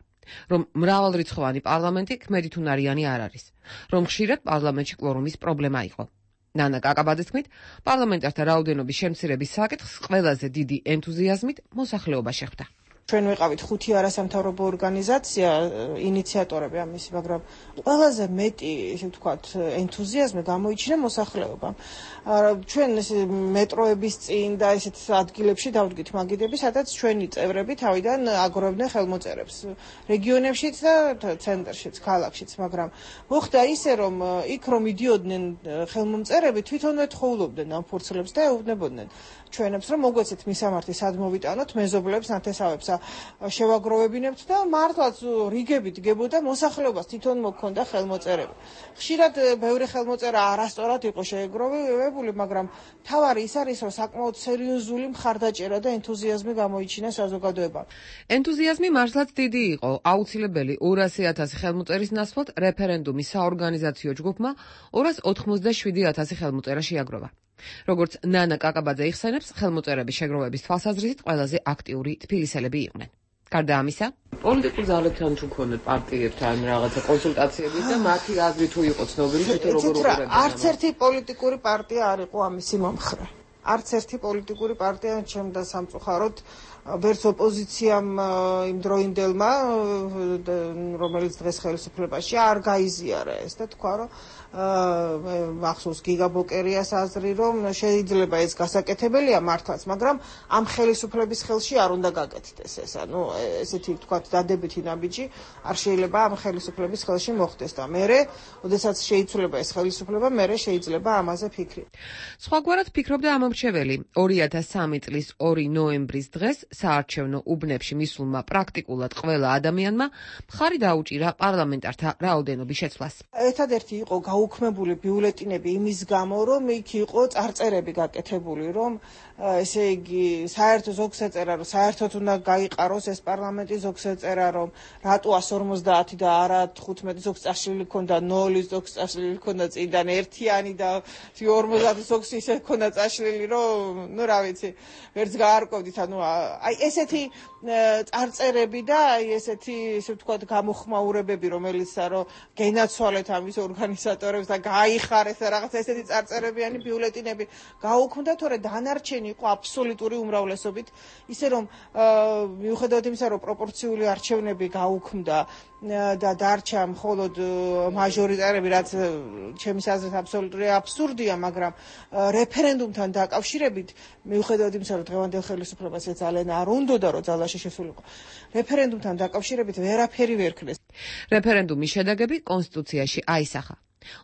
რომ მრავალრიცხოვანი პარლამენტი ქმედითუნარიანი არ არის, რომ ხშირად პარლამენტში კვორუმის პრობლემა იყო. ნანა კაკაბაძის თქმით, პარლამენტართა რაოდენობის შემცირების საკითხს ყველაზე დიდი ენთუზიაზმით მოსახლეობა შეხვდა. ჩვენ ვიყავით 5 არასამთავრობო ორგანიზაცია, ინიციატორები ამისი, მაგრამ ყველაზე მეტი, ესე ვთქვათ, ენთუზიაზმი გამოიჩინა მოსახლეობამ. ჩვენ მეტროების წინ და ესეთ ადგილებში დავდგით მაგიდები, სადაც ჩვენი წევრები თავიდან აგროვებდნენ ხელმოწერებს. რეგიონებშიც და ცენტრშიც, ქალაქშიც, მაგრამ მოხდა ისე, რომ იქ რომ მიდიოდნენ ხელმომწერები, თვითონვე თხოვლობდნენ ამ ფურცლებს და ეუბნებოდნენ ჩვენებს, რომ მოგვეცეთ მისამართი სად მოვიტანოთ, მეზობლებს, ნათესავებს შევაგროვებინებთ და მართლაც რიგებით დგებოდა მოსახლეობას თვითონ მოქონდა ხელმოწერები. ხშირად ბევრი ხელმოწერა არასწორად იყო შეეგროვებული, მაგრამ თავარი ის არის, რომ საკმაოდ სერიოზული მხარდაჭერა და ენთუზიაზმი გამოიჩინა საზოგადოებამ. ენთუზიაზმი მართლაც დიდი იყო. აუცილებელი 200,000 ხელმოწერის ნაცვლად რეფერენდუმის საორგანიზაციო ჯგუფმა 287,000 ხელმოწერა შეაგროვა. როგორც ნანა კაკაბაძე იხსენებს, ხელმოწერების შეგროვების თვალსაზრისით ყველაზე აქტიური თბილისელები იყვნენ. გარდა ამისა, პოლიტიკურ ძალებთან თუ ქონდათ პარტიებთან რაღაცა კონსულტაციები და მათი აზრი თუ იყო ცნობილი, თვითონ როგორ უყურებდნენ. არც ერთი პოლიტიკური პარტია არ იყო ამისი მომხრე. არც ერთი პოლიტიკური პარტია ჩემდა სამწუხაროდ ვერც ოპოზიციამ იმ დროინდელმა, რომელიც დღეს ხელისუფლებაში არ გაიზიარა ეს და თქვა, რომ მახსოვს გიგაბოკერიას აზრი, რომ შეიძლება ეს გასაკეთებელია მართლაც, მაგრამ ამ ხელისუფლების ხელში არ უნდა გაკეთდეს ეს. ესეთი ვთქვათ დადებითი ნაბიჯი არ შეიძლება ამ ხელისუფლების ხელში მოხდეს და მერე, ოდესაც შეიცვლება ეს ხელისუფლება, მერე შეიძლება ამაზე ფიქრი. სხვაგვარად ფიქრობდა ამომრჩეველი არჩეველი 2003 წლის 2 ნოემბრის დღეს საარჩევნო უბნებში მისულმა პრაქტიკულად ყველა ადამიანმა მხარი დაუჭირა პარლამენტართა რაოდენობის შეცვლას. ერთადერთი იყო გაუქმებული ბიულეტინები იმის გამო, რომ იქ იყო წარწერები გაკეთებული, რომ ესე იგი საერთო ზოგს ეწერა, რომ საერთოდ უნდა გაიყაროს ეს პარლამენტი, ზოგს ეწერა, რომ რატო 150 და არა 15 ზოგს წაშლილი ქონდა 0 ზოგს წაშლილი ქონდა წინდან ერთიანი და 50 ზოგს ისე ქონდა წაშლილი, რომ ნუ რა ვიცი, ვერც გაარკვევდით, ანუ აი ესეთი წარწერები და აი ესეთი ისე ვთქვათ გამოხმაურებები, რომელიც რომ გენაცვალეთ ამის ორგანიზატორებს და გაიხარეს რაღაცა ესეთი წარწერებიანი ბიულეტინები გაუქმდა, თორე დანარჩენი იყო აბსოლუტური უმრავლესობით, ისე რომ მიუხედავად იმისა, რომ პროპორციული არჩევნები გაუქმდა და დარჩა მხოლოდ მაჟორიტარები, რაც ჩემის აზრით აბსოლუტური აბსურდია, მაგრამ რეფერენდუმთან დაკავშირებით, მიუხედავად იმისა, რომ დღევანდელ ხელისუფლებას ძალიან არ უნდოდა, რომ ძალაში შესულიყო, რეფერენდუმთან დაკავშირებით ვერაფერი ვერ ქნეს. რეფერენდუმის შედეგები კონსტიტუციაში აისახა.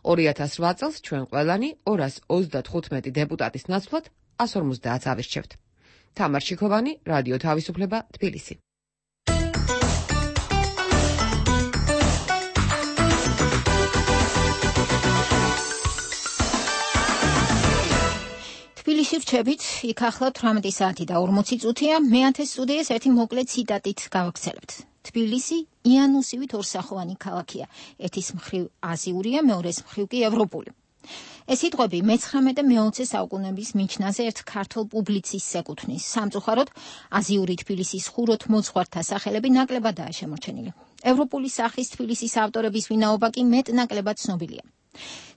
2008 წელს ჩვენ ყველანი 235 დეპუტატის ნაცვლად 150 ავირჩევთ. თამარ ჩიქოვანი, რადიო თავისუფლება, თბილისი. თბილისში ვჩებით, იქ ახლა 18 საათი და 40 წუთია, მეათე სტუდიას ერთი მოკლე ციტატით გავაგრძელებთ. თბილისი იანუსივით ორსახოვანი ქალაქია. ერთის მხრივ აზიურია, მეორეს მხრივ კი ევროპული. ეს სიტყვები მე-19 და მე-20 საუკუნეების მიჩნაზე ერთ ქართულ პუბლიცისტს ეკუთვნის. სამწუხაროდ, აზიური თბილისის ხუროთ მოძღვართა სახელები ნაკლებადაა შემორჩენილი. ევროპული სახის თბილისის ავტორების ვინაობა კი მეტ-ნაკლებად ცნობილია.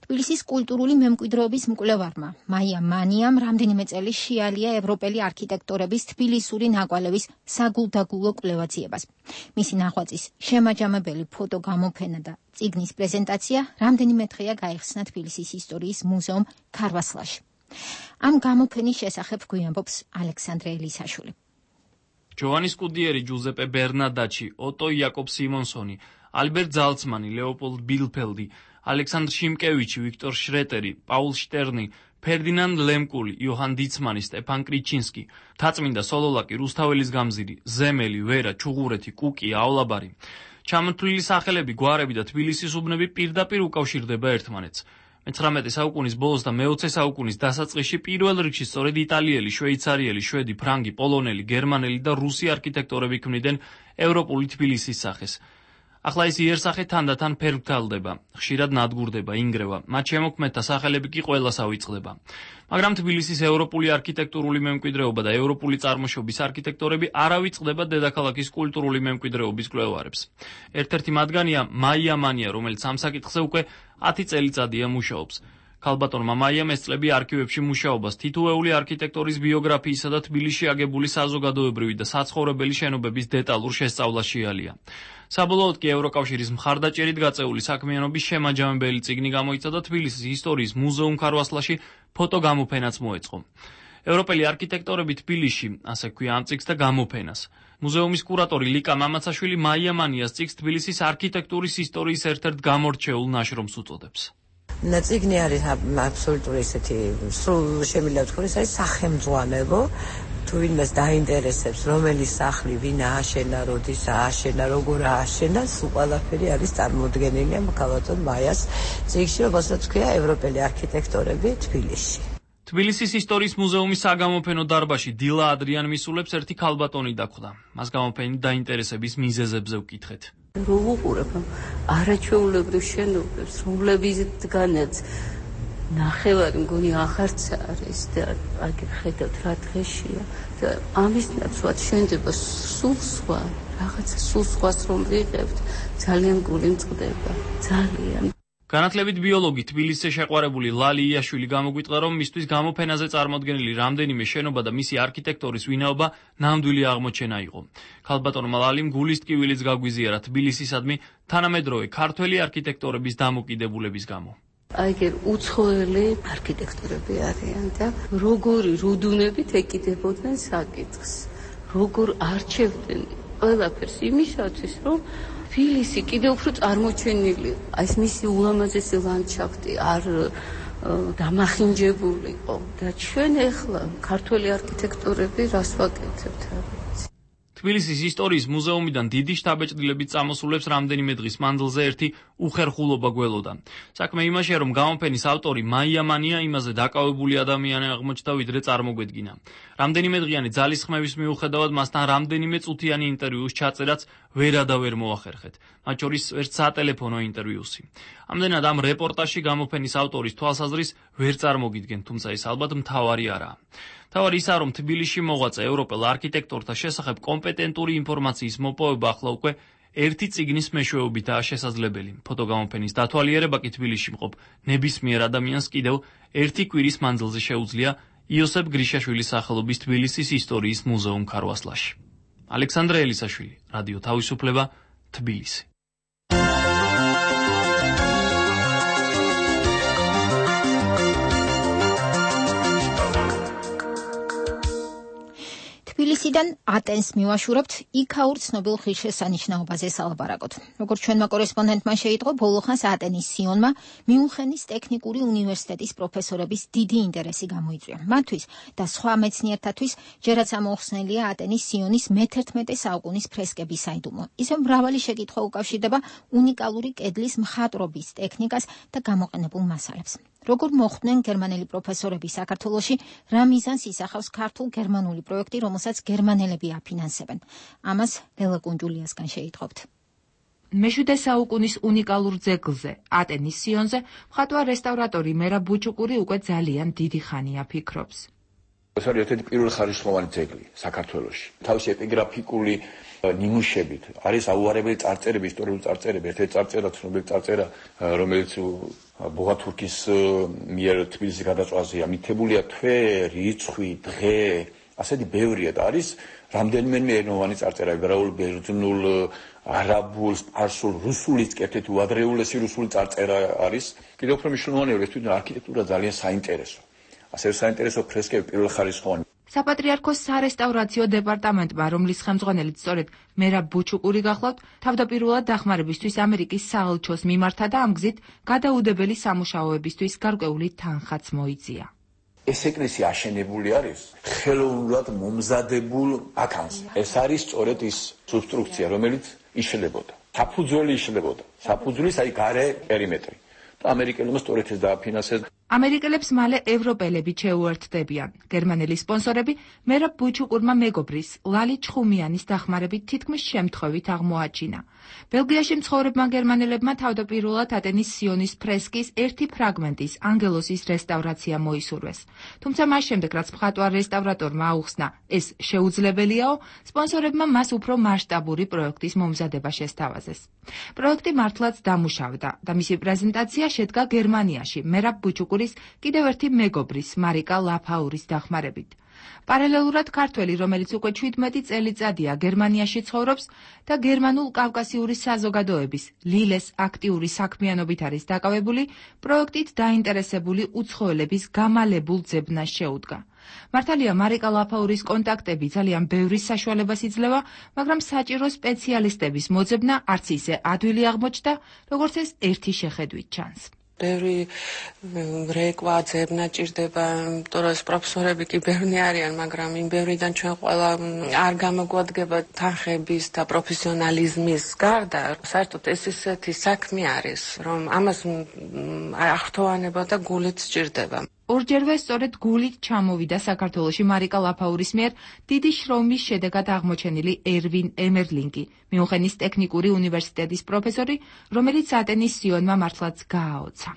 თბილისის კულტურული მემკვიდრეობის მკვლევარმა მაია მანიამ რამდენიმე წელი შეალია ევროპელი არქიტექტორების თბილისური ნაკვალევის საგულდაგულო კვლევაციებას. მისი ნახვაწის შემაჯამებელი ფოტოგამოფენა და წიგნის პრეზენტაცია რამდენიმე დღეა გაიხსნა თბილისის ისტორიის მუზეუმ ქარვასლაში. ამ გამოფენის შესახებ გვიამბობს ალექსანდრე ელისაშვილი. ჯოვანი სკუდიერი, ჯუზეპე ბერნადაჩი, ოტო იაკობ სიმონსონი, ალბერტ ზალცმანი, ლეოპოლდ ბილფელდი, ალექსანდრ შიმკევიჩი, ვიქტორ შრეტერი, პაულ შტერნი, ფერდინანდ ლემკული, იოჰან დიცმანი, სტეფან კრიჩინსკი, თაწმინდა სოლოლაკი, რუსთაველის გამზირი, ზემელი, ვერა, ჩუღურეთი, კუკი, ავლაბარი. ჩამოთვლილი სახელები, გვარები და თბილისის უბნები პირდაპირ უკავშირდება ერთმანეთს. მე-19 საუკუნის ბოლოს და მე-20 საუკუნის დასაწყისში პირველ რიგში სწორედ იტალიელი, შვეიცარიელი, შვედი, ფრანგი, პოლონელი, გერმანელი და რუსი არქიტექტორები ქმნიდნენ ევროპული თბილისის სახეს. ახლა ეს იერსახე თანდათან ფერმკალდება, ხშირად ნადგურდება, ინგრევა, მათ შემოქმედთა სახელები კი ყველას ავიწყდება. მაგრამ თბილისის ევროპული არქიტექტურული მემკვიდრეობა და ევროპული წარმოშობის არქიტექტორები არ ავიწყდება დედაქალაქის კულტურული მემკვიდრეობის კვლევარებს. ერთ-ერთი მათგანია მაია მანია, რომელიც ამ საკითხზე უკვე 10 წელიწადია მუშაობს. ქალბატონმა მაიამ ეს წლები არქივებში მუშაობას თითოეული არქიტექტორის ბიოგრაფიისა და თბილისში აგებული საზოგადოებრივი და საცხოვრებელი შენობების დეტალურ შესწავლას შეალია. საბოლოოდ კი ევროკავშირის მხარდაჭერით გაწეული საქმიანობის შემაჯამებელი წიგნი გამოიცა და თბილისის ისტორიის მუზეუმ ქარვასლაში ფოტოგამოფენაც მოეწყო. ევროპელი არქიტექტორები თბილისში, ასე ქვია ამ წიგნს და გამოფენას. მუზეუმის კურატორი ლიკა მამაცაშვილი მაია მანიას წიგნს თბილისის არქიტექტურის ისტორიის ერთ-ერთ გამორჩეულ ნაშრომს უწოდებს. წიგნი არის აბსოლუტური ესეთი სრულ შემიძლია ვთქვათ, ეს არის სახელმძღვანელო. თუ ვინმეს დაინტერესებს, რომელი სახლი ვინ ააშენა, როდის ააშენა, როგორ ააშენა, სულ ყველაფერი არის წარმოდგენილი ქალბატონ მაიას წიგნში, რომელსაც ქვია ევროპელი არქიტექტორები თბილისში. თბილისის ისტორიის მუზეუმის საგამოფენო დარბაზში დილა ადრიან მისულებს ერთი ქალბატონი დახვდა. მას გამოფენით დაინტერესების მიზეზებზე ვკითხეთ. რო ვუყურებ არაჩვეულებრივ შენობებს, რომლებისგანაც ნახევარი მგონი აღარც არის და აგერ ხედავთ რა დღეშია და ამის ნაცვლად შეიძლება სულ სხვა რაღაცა სულ სხვას რომ ვიღებთ, ძალიან გული მწყდება, ძალიან. განათლებით ბიოლოგი თბილისზე შეყვარებული ლალი იაშვილი გამოგვიტყდა, რომ მისთვის გამოფენაზე წარმოდგენილი რამდენიმე შენობა და მისი არქიტექტორის ვინაობა ნამდვილი აღმოჩენა იყო. ქალბატონმა ლალიმ გულის ტკივილიც გაგვიზიარა თბილისისადმი თანამედროვე ქართველი არქიტექტორების დამოკიდებულების გამო. აიგერ უცხოელი არქიტექტორები არიან და როგორი რუდუნებით ეკიდებოდნენ საკითხს, როგორ არჩევდნენ ყველაფერს იმისათვის, რომ თბილისი კიდევ უფრო წარმოჩენილი, ეს მისი ულამაზესი ლანდშაფტი არ დამახინჯებულიყო და ჩვენ ახლა ქართველი არქიტექტორები რას ვაკეთებთ არის თბილისის ისტორიის მუზეუმიდან დიდი შთაბეჭდილებით წამოსულებს რამდენიმე დღის მანძილზე ერთი უხერხულობა გველოდა. საქმე იმაშია, რომ გამოფენის ავტორი მაია მანია იმაზე დაკავებული ადამიანი აღმოჩნდა, ვიდრე წარმოგვედგინა. რამდენიმე დღიანი ძალისხმევის მიუხედავად მასთან რამდენიმე წუთიანი ინტერვიუს ჩაწერაც ვერადავერ მოახერხეთ. მათ შორის ერთ სატელეფონო ინტერვიუსი. ამდენად ამ რეპორტაჟში გამოფენის ავტორის თვალსაზრისით ვერ წარმოგიდგენ, თუმცა ეს ალბათ მთავარი არაა. თავარი ისაა, რომ თბილისში მოღვაწე ევროპელ არქიტექტორთა შესახებ კომპეტენტური ინფორმაციის მოპოვება ახლა უკვე ერთი წიგნის მეშვეობითაა შესაძლებელი. ფოტოგამოფენის დათვალიერება კი თბილისში მყოფ ნებისმიერ ადამიანს კიდევ ერთი კვირის მანძილზე შეუძლია იოსებ გრიშაშვილის სახელობის თბილისის ისტორიის მუზეუმ ქარვასლაში. ალექსანდრე ელისაშვილი, რადიო თავისუფლება, თბილისი. თბილისიდან ატენს მივაშურებთ იქაურ ცნობილ ღირსშესანიშნაობაზე სალაპარაკოთ. როგორც ჩვენმა კორესპონდენტმა შეიტყო, ბოლოხანს ატენის სიონმა მიუნხენის ტექნიკური უნივერსიტეტის პროფესორების დიდი ინტერესი გამოიწვია. მათთვის და სხვა მეცნიერთათვის ჯერაც ამოხსნელია ატენის სიონის მე-11 საუკუნის ფრესკების საიდუმლო. ისევ მრავალი შეკითხვა უკავშირდება უნიკალური კედლის მხატვრობის ტექნიკას და გამოყენებულ მასალებს. როგორ მოხვდნენ გერმანელი პროფესორები საქართველოში, რა მიზანს ისახავს ქართულ-გერმანული პროექტი, რომელსაც გერმანელები აფინანსებენ. ამას ლელა კუნჯულიასგან შეიტყობთ. მე-7 საუკუნის უნიკალურ ძეგლზე, ატენის სიონზე, მხატვარ რესტავრატორი მერაბ ბუჩუკური უკვე ძალიან დიდი ხანია ფიქრობს. ეს არის ერთ-ერთი პირველი ხარისხოვანი ძეგლი საქართველოში. თავისი ეპიგრაფიკული ნიმუშებით არის აუარებელი წარწერები, ისტორიული წარწერები, ერთ-ერთი წარწერა, ცნობილი წარწერა, რომელიც ბოღათურკის მიერ თბილისის გადაწვაზეა მითებულია თვე, რიცხვი, დღე, ასეთი ბევრია და არის რამდენიმე ენოვანი წარწერა, ებრაულ, ბერძნულ, არაბულ, სპარსულ, რუსულიც ერთ-ერთი უადრეულესი რუსული წარწერა არის. კიდევ უფრო მნიშვნელოვანია, ეს თვითონ არქიტექტურა ძალიან საინტერესო. ასევე საინტერესო ფრესკები პირველ ხარისხოვანი. საპატრიარქოს სარესტავრაციო დეპარტამენტმა, რომლის ხელმძღვანელიც სწორედ მერაბ ბუჩუკური გახლავთ, თავდაპირველად დახმარებისთვის ამერიკის საელჩოს მიმართა და ამ გზით გადაუდებელი სამუშაოებისთვის გარკვეული თანხაც მოიწია. ეს ეკლესია აშენებული არის ხელოვნურად მომზადებულ ბაქანზე. ეს არის სწორედ ის სუბსტრუქცია, რომელიც იშლებოდა. საფუძველი იშლებოდა. საფუძვლის აი გარე პერიმეტრი. და ამერიკელებმა სწორედ ეს დააფინანსეს. ამერიკელებს მალე ევროპელები შეუერთდებიან. გერმანელი სპონსორები მერაბ ბუჩუკურმა მეგობრის ლალი ჩხუმიანის დახმარებით თითქმის შემთხვევით აღმოაჩინა. ბელგიაში მცხოვრებმა გერმანელებმა თავდაპირველად ატენის სიონის ფრესკის ერთი ფრაგმენტის ანგელოსის რესტავრაცია მოისურვეს. თუმცა მას შემდეგ, რაც მხატვარ რესტავრატორმა აუხსნა, ეს შეუძლებელიაო, სპონსორებმა მას უფრო მასშტაბური პროექტის მომზადება შესთავაზეს. პროექტი მართლაც დამუშავდა და მისი პრეზენტაცია შედგა გერმანიაში მერაბ ბუჩუკურის კიდევ ერთი მეგობრის მარიკა ლაფაურის დახმარებით. პარალელურად ქართველი, რომელიც უკვე 17 წელიწადია გერმანიაში ცხოვრობს და გერმანულ-კავკასიური საზოგადოების ლილეს აქტიური საქმიანობით არის დაკავებული, პროექტით დაინტერესებული უცხოელების გამალებულ ძებნას შეუდგა. მართალია მარიკა ლაფაურის კონტაქტები ძალიან ბევრი საშუალებას იძლევა, მაგრამ საჭირო სპეციალისტების მოძებნა არც ისე ადვილი აღმოჩნდა, როგორც ეს ერთი შეხედვით ჩანს. ბევრი რეკვა ძებნა ჭირდება, იმიტომ რომ პროფესორები კი ბევრი არიან, მაგრამ იმ ბევრიდან ჩვენ ყველა არ გამოგვადგება თანხების და პროფესიონალიზმის გარდა. საერთოდ ეს ისეთი საქმე არის, რომ ამას აღრთოვანება და გულით სჭირდება. ორჯერვე სწორედ გულით ჩამოვიდა საქართველოში მარიკა ლაფაურის მიერ დიდი შრომის შედეგად აღმოჩენილი ერვინ ემერლინგი, მიუნხენის ტექნიკური უნივერსიტეტის პროფესორი, რომელიც ატენის სიონმა მართლაც გააოცა.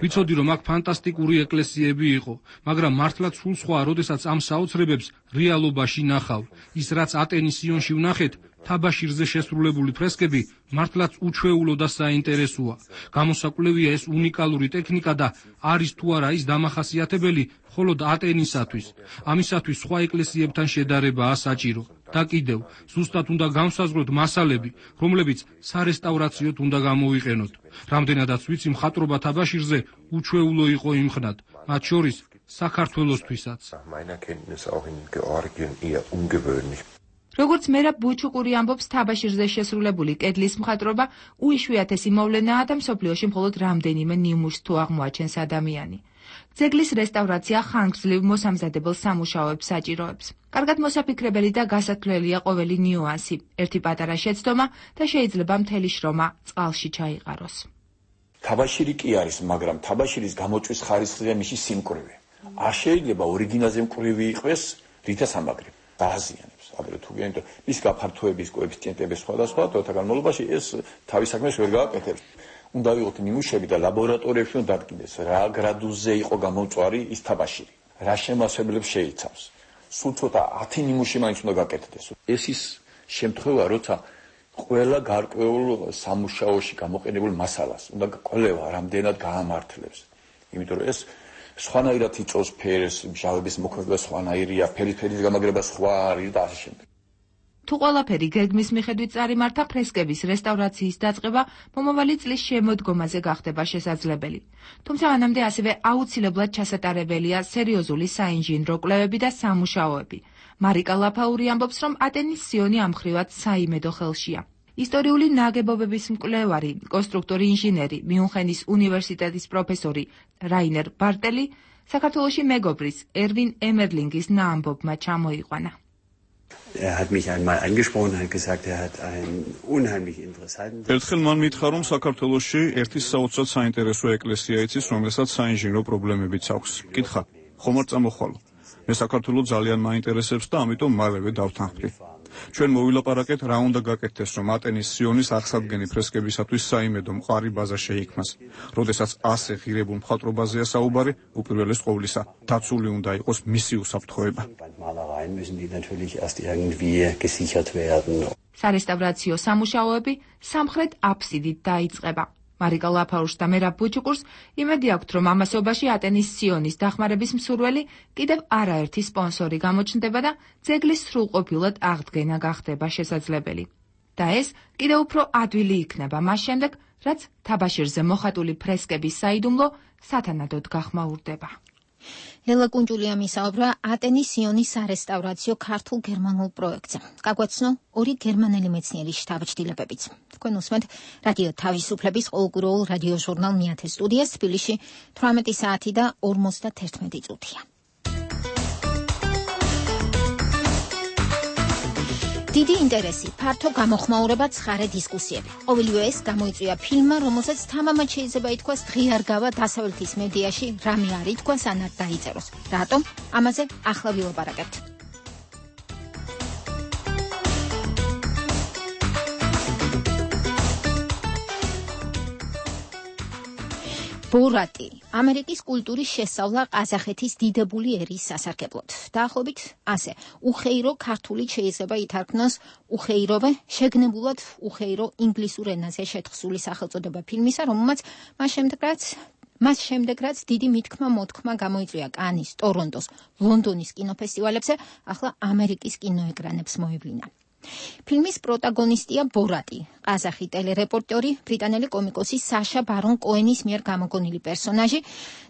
ვიცოდი, რომ აქ ფანტასტიკური ეკლესიები იყო, მაგრამ მართლაც სულ სხვა, როდესაც ამ საოცრებებს რეალობაში ნახავ. ის რაც ატენის სიონში ვნახეთ, თაბაშირზე შესრულებული ფრესკები მართლაც უჩვეულო და საინტერესოა. გამოსაკვლევია ეს უნიკალური ტექნიკა და არის თუ არა ის დამახასიათებელი მხოლოდ ატენისათვის. ამისათვის სხვა ეკლესიებთან შედარებაა საჭირო. და კიდევ, ზუსტად უნდა განსაზღვროთ მასალები, რომლებიც სარესტავრაციოდ უნდა გამოვიყენოთ. რამდენადაც ვიცი, მხატვრობა თაბაშირზე უჩვეულო იყო იმხნად, მათ შორის საქართველოსთვისაც. როგორც მერაბ ბუჩუკური ამბობს, თაბაშირზე შესრულებული კედლის მხატვრობა უიშვიათესი მოვლენაა და მსოფლიოში მხოლოდ რამდენიმე ნიმუშს თუ აღმოაჩენს ადამიანი. ძეგლის რესტავრაცია ხანგრძლივ მოსამზადებელ სამუშაოებს საჭიროებს. კარგად მოსაფიქრებელი და გასათვლელია ყოველი ნიუანსი, ერთი პატარა შეცდომა და შეიძლება მთელი შრომა წყალში ჩაიყაროს. თაბაშირი კი არის, მაგრამ თაბაშირის გამოწვის ხარისხია მისი სიმკვრივე. არ შეიძლება ორიგინალზე მკვრივი იყოს, რითაც ამაგრებ. დააზიანებს, აგრეთვე თუ გინდ მის გაფართოების კოეფიციენტები სხვადასხვა, თოთა განმავლობაში ეს თავის საქმეს ვერ გააკეთებს. უნდა ვიღოთ ნიმუშები და ლაბორატორიებში უნდა დადგინდეს, რა გრადუსზე იყო გამომწვარი ის თაბაშირი, რა შემავსებლებს შეიცავს. სულ ცოტა 10 ნიმუში მაინც უნდა გაკეთდეს. ეს ის შემთხვევა, როცა ყველა გარკვეულ სამუშაოში გამოყენებულ მასალას უნდა კვლევა რამდენად გაამართლებს. იმიტომ რომ ეს სხვანაირად იწვევს ფერს, მჟავების მოქმედება სხვანაირია, ფერის გამაგრება სხვა არის და ასე შემდეგ. თუ ყველაფერი გეგმის მიხედვით წარიმართა, ფრესკების რესტავრაციის დაწყება მომავალი წლის შემოდგომაზე გახდება შესაძლებელი. თუმცა მანამდე ასევე აუცილებლად ჩასატარებელია სერიოზული საინჟინრო კვლევები და სამუშაოები. მარიკა ლაფაური ამბობს, რომ ატენის სიონი ამხრივად საიმედო ხელშია. ისტორიული ნაგებობების მკვლევარი, კონსტრუქტორი ინჟინერი, მიუნხენის უნივერსიტეტის პროფესორი რაინერ ბარტელი საქართველოში მეგობრის ერვინ ემერლინგის ნაამბობმა ჩამოიყვანა. hat mich einmal angesprochen und hat gesagt, hat einen unheimlich interessanten. ერთხელ მან მითხრა, რომ საქართველოში ერთი საოცრად საინტერესო ეკლესია იცის, რომელსაც საინჟინრო პრობლემებიც აქვს. კითხა, ხომ არ წამოხვალო? მე საქართველოს ძალიან მაინტერესებს და ამიტომ მალევე დავთანხმდი. ჩვენ მოვილაპარაკეთ, რა უნდა გაკეთდეს, რომ ატენის სიონის აღსადგენი ფრესკებისათვის საიმედო მყარი ბაზა შეიქმნას. როდესაც ასე ღირებულ მხატვრობაზეა საუბარი, უპირველეს ყოვლისა, დაცული უნდა იყოს მისი უსაფრთხოება. სარესტავრაციო სამუშაოები სამხრეთ აფსიდით დაიწყება. მარიკა ლაფაურს და მერაბ ბუჩუკურს იმედი აქვთ, რომ ამასობაში ატენის სიონის დახმარების მსურველი კიდევ არაერთი სპონსორი გამოჩნდება და ძეგლის სრულყოფილად აღდგენა გახდება შესაძლებელი. და ეს კიდევ უფრო ადვილი იქნება მას შემდეგ, რაც თაბაშირზე მოხატული ფრესკების საიდუმლო სათანადოდ გახმაურდება. ლელა კუნჯულია მისაუბრა ატენის სიონის სარესტავრაციო ქართულ-გერმანულ პროექტზე. გაგვაცნო ორი გერმანელი მეცნიერის შთაბეჭდილებებიც. თქვენ უსმენთ რადიო თავისუფლების ყოველკვირეულ რადიო ჟურნალ მეათე სტუდიას, თბილისში 18 საათი და 51 წუთია. დიდი ინტერესი, ფართო გამოხმაურება, ცხარე დისკუსიები. ყოველივე ეს გამოიწვია ფილმმა, რომელსაც თამამად შეიძლება ითქვას ღიარგავა დასავლეთის მედიაში რამე არ ითქვას ან არ დაიწეროს. რატომ? ამაზე ახლა ვილაპარაკებთ. ბორატი, ამერიკის კულტურის შესწავლა ყაზახეთის დიდებული ერის სასარგებლოდ. დაახლოებით ასე, უხეირო ქართულით შეიძლება ითარგმნოს უხეიროვე, შეგნებულად უხეირო ინგლისურ ენაზე შეთხსული სახელწოდება ფილმისა, რომელმაც მას შემდეგ რაც დიდი მითქმა-მოთქმა გამოიწვია კანის, ტორონტოს, ლონდონის კინოფესტივალებზე, ახლა ამერიკის კინოეკრანებს მოევლინა. ფილმის პროტაგონისტია ბორატი, ყაზახი ტელერეპორტერი, ბრიტანელი კომიკოსი საშა ბარონ კოენის მიერ გამოგონილი პერსონაჟი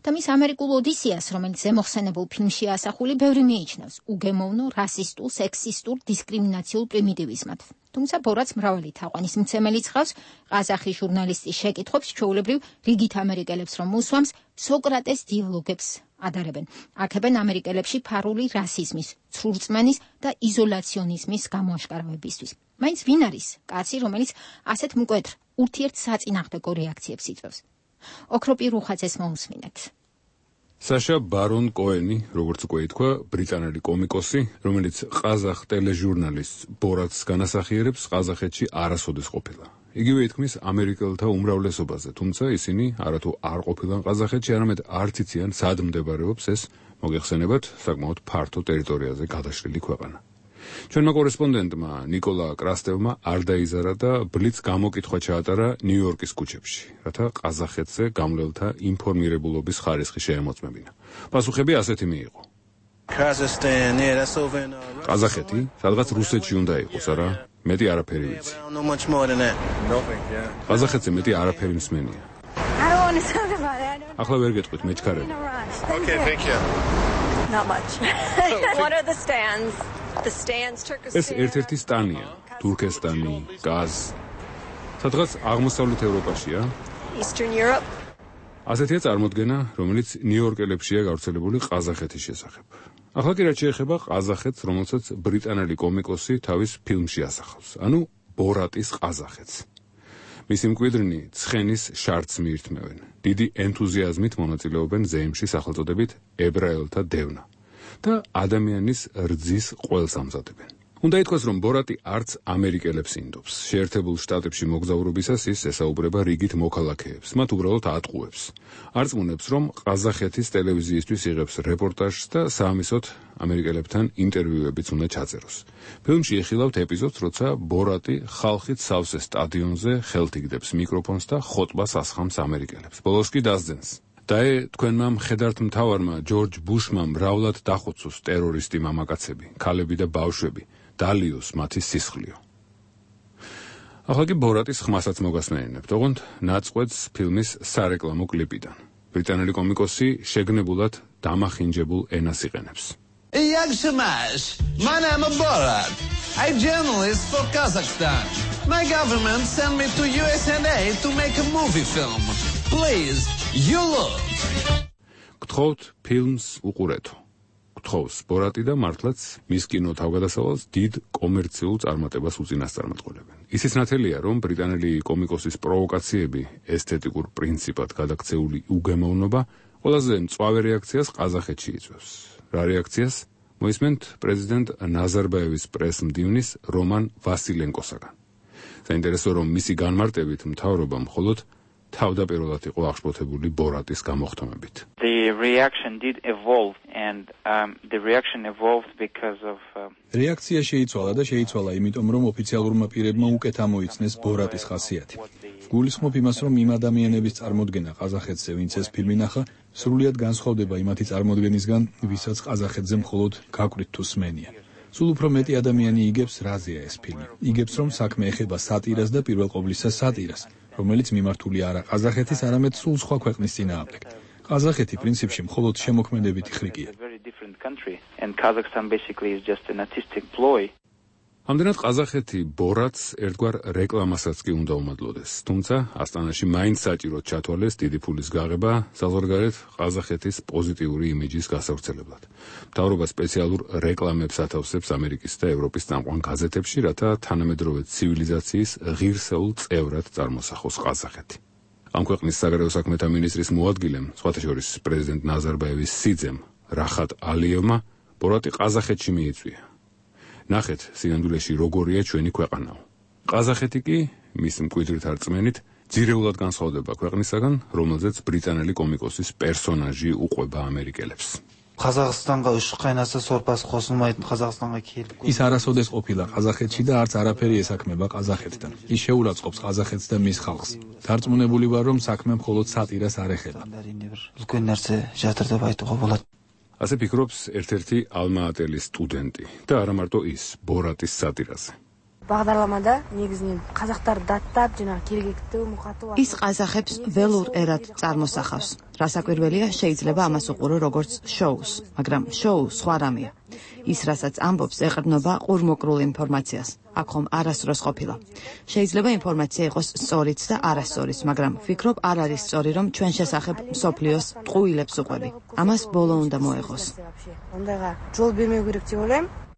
და მის ამერიკულ ოდისეას, რომელიც ზემოხსენებულ ფილმში ასახული, ბევრი მიიჩნევს უგემოვნო, რასისტულ, სექსისტურ, დისკრიმინაციულ პრიმიტივიზმად. თუმცა ბორატს მრავალი თაყვანისმცემელი ცხავს, ყაზახი ჟურნალისტის შეკითხვებს, ჩვეულებრივ რიგით ამერიკელებს რომ უსვამს, სოკრატეს დიალოგებს ადარებენ. აქებენ ამერიკელებში ფარული რასიზმის, ცრურწმენის და იზოლაციონიზმის გამოაშკარავებისთვის. მაინც ვინ არის კაცი, რომელიც ასეთ მკვეთრ ურთიერთსაწინააღმდეგო რეაქციებს იწვევს? ოქროპი რუხაძეს მოусმინეთ. საშა ბარონ კოენი, როგორც უკვე ითქვა, ბრიტანელი კომიკოსი, რომელიც ყაზახ ტელეჟურნალის ბორატს განასახიერებს, ყაზახეთში არასოდეს ყოფილა. იგივე ითქმის ამერიკელთა უმრავლესობაზე, თუმცა ისინი არათუ არ ყოფილან ყაზახეთში, არამედ არც იციან, სად მდებარეობს ეს მოგეხსენებათ საკმაოდ ფართო ტერიტორიაზე გადაშლილი ქვეყანა. ჩვენმა კორესპონდენტმა ნიკოლა კრასტევმა არ დაიზარა და ბლიც გამოკითხვა ჩაატარა ნიუ-იორკის ქუჩებში, რათა ყაზახეთზე გამლელთა ინფორმირებულობის ხარისხი შეემოწმებინა. პასუხები ასეთი მიიღო. ყაზახეთი, სადღაც რუსეთში უნდა იყოს, არა? მეტი არაფერი ვიცი. ყაზახეთზე მეტი არაფერი მსმენია. ახლა ვერ გეტყვით, მეჩქარები. Okay, thank you. Not much. What are the stands? ეს ერთ-ერთი სტანია, თურქესტანი, გაზ. სადღაც აღმოსავლეთ ევროპაშია. ასეთია წარმოდგენა, რომელიც ნიუ-იორკელებშია გავრცელებული ყაზახეთის შესახებ. ახლა კი რაც შეეხება ყაზახეთს, რომელსაც ბრიტანელი კომიკოსი თავის ფილმში ასახავს, ანუ ბორატის ყაზახეთს. მისი მკვიდრნი ცხენის შარტს მიირთმევენ. დიდი ენთუზიაზმით მონაწილეობენ ზეიმში სახელწოდებით ებრაელთა დევნა და ადამიანის რძის ყველს ამზადებენ. უნდა ითქვას, რომ ბორატი არც ამერიკელებს ინდობს. შეერთებულ შტატებში მოგზაურობისას ის ესაუბრება რიგით მოქალაქეებს, მათ უბრალოდ ატყუებს. არწმუნებს, რომ ყაზახეთის ტელევიზიისთვის იღებს რეპორტაჟს და საამისოდ ამერიკელებთან ინტერვიუებიც უნდა ჩაწეროს. ფილმში იხილავთ ეპიზოდს, როცა ბორატი ხალხით სავსე სტადიონზე ხელთიგდებს მიკროფონს და ხოტბას ასხამს ამერიკელებს. ბოლოს კი დასძენს. დაე თქვენმა მხედართ მთავარმა ჯორჯ ბუშმა მრავლად დახოცოს ტერორისტი მამაკაცები, ქალები და ბავშვები. დალიოს მათი სისხლიო. ახლა კი ბორატის ხმასაც მოგასმენინებთ, ოღონდ ნაწყვეტს ფილმის სარეკლამო კლიპიდან. ბრიტანელი კომიკოსი შეგნებულად დამახინჯებულ ენას იყენებს. Yagshimash, my name is Borat. I'm journalist for Kazakhstan. My government sent me to USA to make a movie film. Please, you look. გთხოვთ ფილმს უყურეთო. გთხოვს ბორატი და მართლაც მის კინო თავგადასავალს დიდ კომერციულ წარმატებას უწინასწარმეტყველებენ. ისიც ნათელია, რომ ბრიტანელი კომიკოსის პროვოკაციები, ესთეტიკურ პრინციპად გადაქცეული უგემოვნობა ყველაზე მწვავე რეაქციას ყაზახეთში იწვევს. რა რეაქციას? მოისმენთ პრეზიდენტ ნაზარბაევის პრესმდივნის რომან ვასილენკოსაგან. საინტერესო, რომ მისი განმარტებით მთავრობა მხოლოდ თავდაპირველად იყო აღშფოთებული ბორატის გამოხდომებით. The reaction did evolve and the reaction evolved because of რეაქცია შეიცვალა, იმიტომ რომ ოფიციალურმა პირებმა უკეთ ამოიცნეს ბორატის ხასიათი. გულისხმობ იმას, რომ იმ ადამიანების წარმოდგენა ყაზახეთზე, ვინც ეს ფილმი ნახა, სრულიად განსხვავდება იმათი წარმოდგენისგან, ვისაც ყაზახეთზე მხოლოდ გაკვირთ თუ სმენია. სულ უფრო მეტი ადამიანი იგებს, რაზეა ეს ფილმი. იგებს, რომ საქმე ეხება სატირას და პირველ ყოვლისა სატირას, რომელიც მიმართული არა ყაზახეთის, არამედ სულ სხვა ქვეყნის წინააღმდეგ. ყაზახეთი პრინციპში მხოლოდ შემოქმედებითი ხრიკია. ამდენად ყაზახეთი ბორატს ერთგვარ რეკლამასაც კი უნდა უმადლოდეს, თუმცა ასტანაში მაინც საჭიროდ ჩათვალეს დიდი ფულის გაღება საზღვარგარეთ ყაზახეთის პოზიტიური იმიჯის გასავრცელებლად. მთავრობა სპეციალურ რეკლამებს ათავსებს ამერიკის და ევროპის წამყვან გაზეთებში, რათა თანამედროვე ცივილიზაციის ღირსეულ წევრად წარმოსახოს ყაზახეთი. ამ ქვეყნის საგარეო საქმეთა მინისტრის მოადგილემ, სხვათა შორის პრეზიდენტ ნაზარბაევის სიძემ რახატ ალიევმა ბორატი ყაზახეთში მიიწვია. ნახეთ სინამდვილეში როგორია ჩვენი ქვეყანაო. ყაზახეთი კი მის მკვიდრით არწმენით ძირეულად განსხვავდება ქვეყნისაგან, რომელზეც ბრიტანელი კომიკოსის პერსონაჟი უყვება ამერიკელებს. ყაზახსტანға үш қайнаса сорпасы қосылмайтын қазақстанға келіп. ის არასოდეს ყოფილა ყაზახეთში და არც არაფერი ესაქმება ყაზახეთთან. ის შეურაცხყოფს ყაზახეთს და მის ხალხს. დარწმუნებული ვარ, რომ საქმე მხოლოდ სატირას არ ეხება. үлкен нәрсе жатыр деп айтуға болады. ასე ფიქრობს ერთ-ერთი ალმა-ატელის სტუდენტი და არა მარტო ის, ბორატის სატირაზე. бағдарламада негізінен қазақтарды даттап, жаңағы керекті мұқатып. ის ყაზახებს ველურ ერად წარმოსახავს. რასაკვირველია, შეიძლება ამას უყურო როგორც შოუს, მაგრამ შოუ სხვა რამეა. ის, რასაც ამბობს, ეყრდნობა ყურმოკრულ ინფორმაციას. აქ ხომ არასდროს ყოფილა. შეიძლება ინფორმაცია იყოს სწორიც და არასწორიც, მაგრამ ვფიქრობ, არ არის სწორი, რომ ჩვენ შესახებ მსოფლიოს ტყუილებს უყვები. ამას ბოლო უნდა მოეღოს. ондайға жол бермеу керек деп ойлаймын.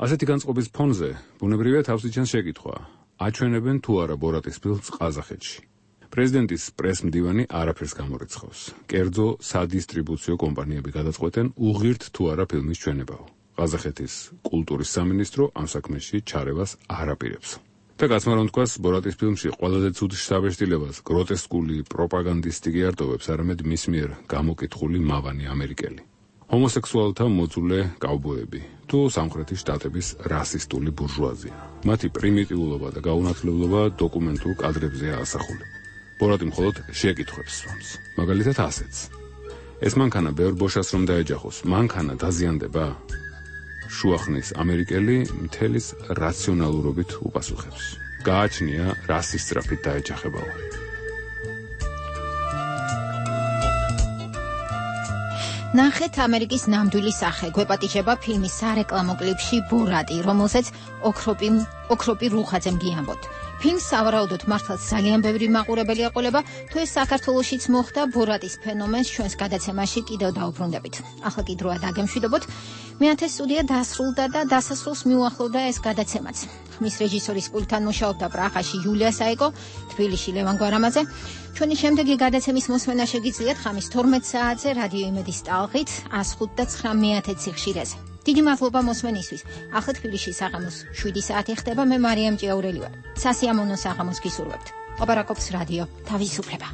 ასეთი განწყობის ფონზე ბუნებრივია თავს იჩენს შეკითხვა: აჩვენებენ თუ არა ბორატის ფილმს ყაზახეთში? პრეზიდენტის პრესმდივანი არაფერს გამორიცხავს. კერძო სადისტრიბუციო კომპანიები გადაწყვეტენ უღირთ თუ არა ფილმის ჩვენებაო. ყაზახეთის კულტურის სამინისტრო ამ საქმეში ჩარევას არ აპირებს. და გაცმა რომ თქვას, ბორატის ფილმში ყველაზე ცუდ შთაბეჭდილებას გროტესკული პროპაგანდისტი კი არ ტოვებს, არამედ მის მიერ გამოკითხული მავანი ამერიკელი. ჰომოსექსუალთა მოძულე კაუბოები თუ სამხრეთის შტატების რასისტული ბურჟუაზია. მათი პრიმიტიულობა და გაუნათლებლობა დოკუმენტურ კადრებზეა ასახული. ბორატი მხოლოდ შეკითხვებს სვამს. მაგალითად ასეც. ეს მანქანა ბევრ ბოშას რომ დაეჯახოს, მანქანა დაზიანდება? შუახნის ამერიკელი მთელის რაციონალურობით უპასუხებს. გააჩნია რასის სწრაფით დაეჯახებაო. ნახეთ ამერიკის ნამდვილი სახე. გვეპატიჟება ფილმის სარეკლამო კლიპში ბორატი, რომელსაც ოქროპი რუხაძემ გიამბოთ. ფილმს სავარაუდოდ მართლაც ძალიან ბევრი მაყურებელი ეყოლება, თუ ეს საქართველოშიც მოხდა ბორატის ფენომენს ჩვენს გადაცემაში კიდევ დაუბრუნდებით. ახლა კი დროა დაგემშვიდობოთ. მეათე სტუდია დასრულდა და დასასრულს მიუახლოვდა ეს გადაცემაც. ხმის რეჟისორის პულტთან მუშაობდა პრაღაში იულია საიკო, თბილისში ლევან გვარამაძე. ჩვენი შემდეგი გადაცემის მოსმენა შეგიძლიათ ხამის 12 საათზე რადიო იმედის ტალღით 105 და 9 მეათე ციხშირეზე. დიდი მადლობა მოსმენისთვის. ახლა თბილისში საღამოს 7 საათი ხდება. მე მარიამ ჭიაურელი ვარ. სასიამოვნო საღამოს გისურვებთ. ოპერაკობს რადიო თავისუფლება.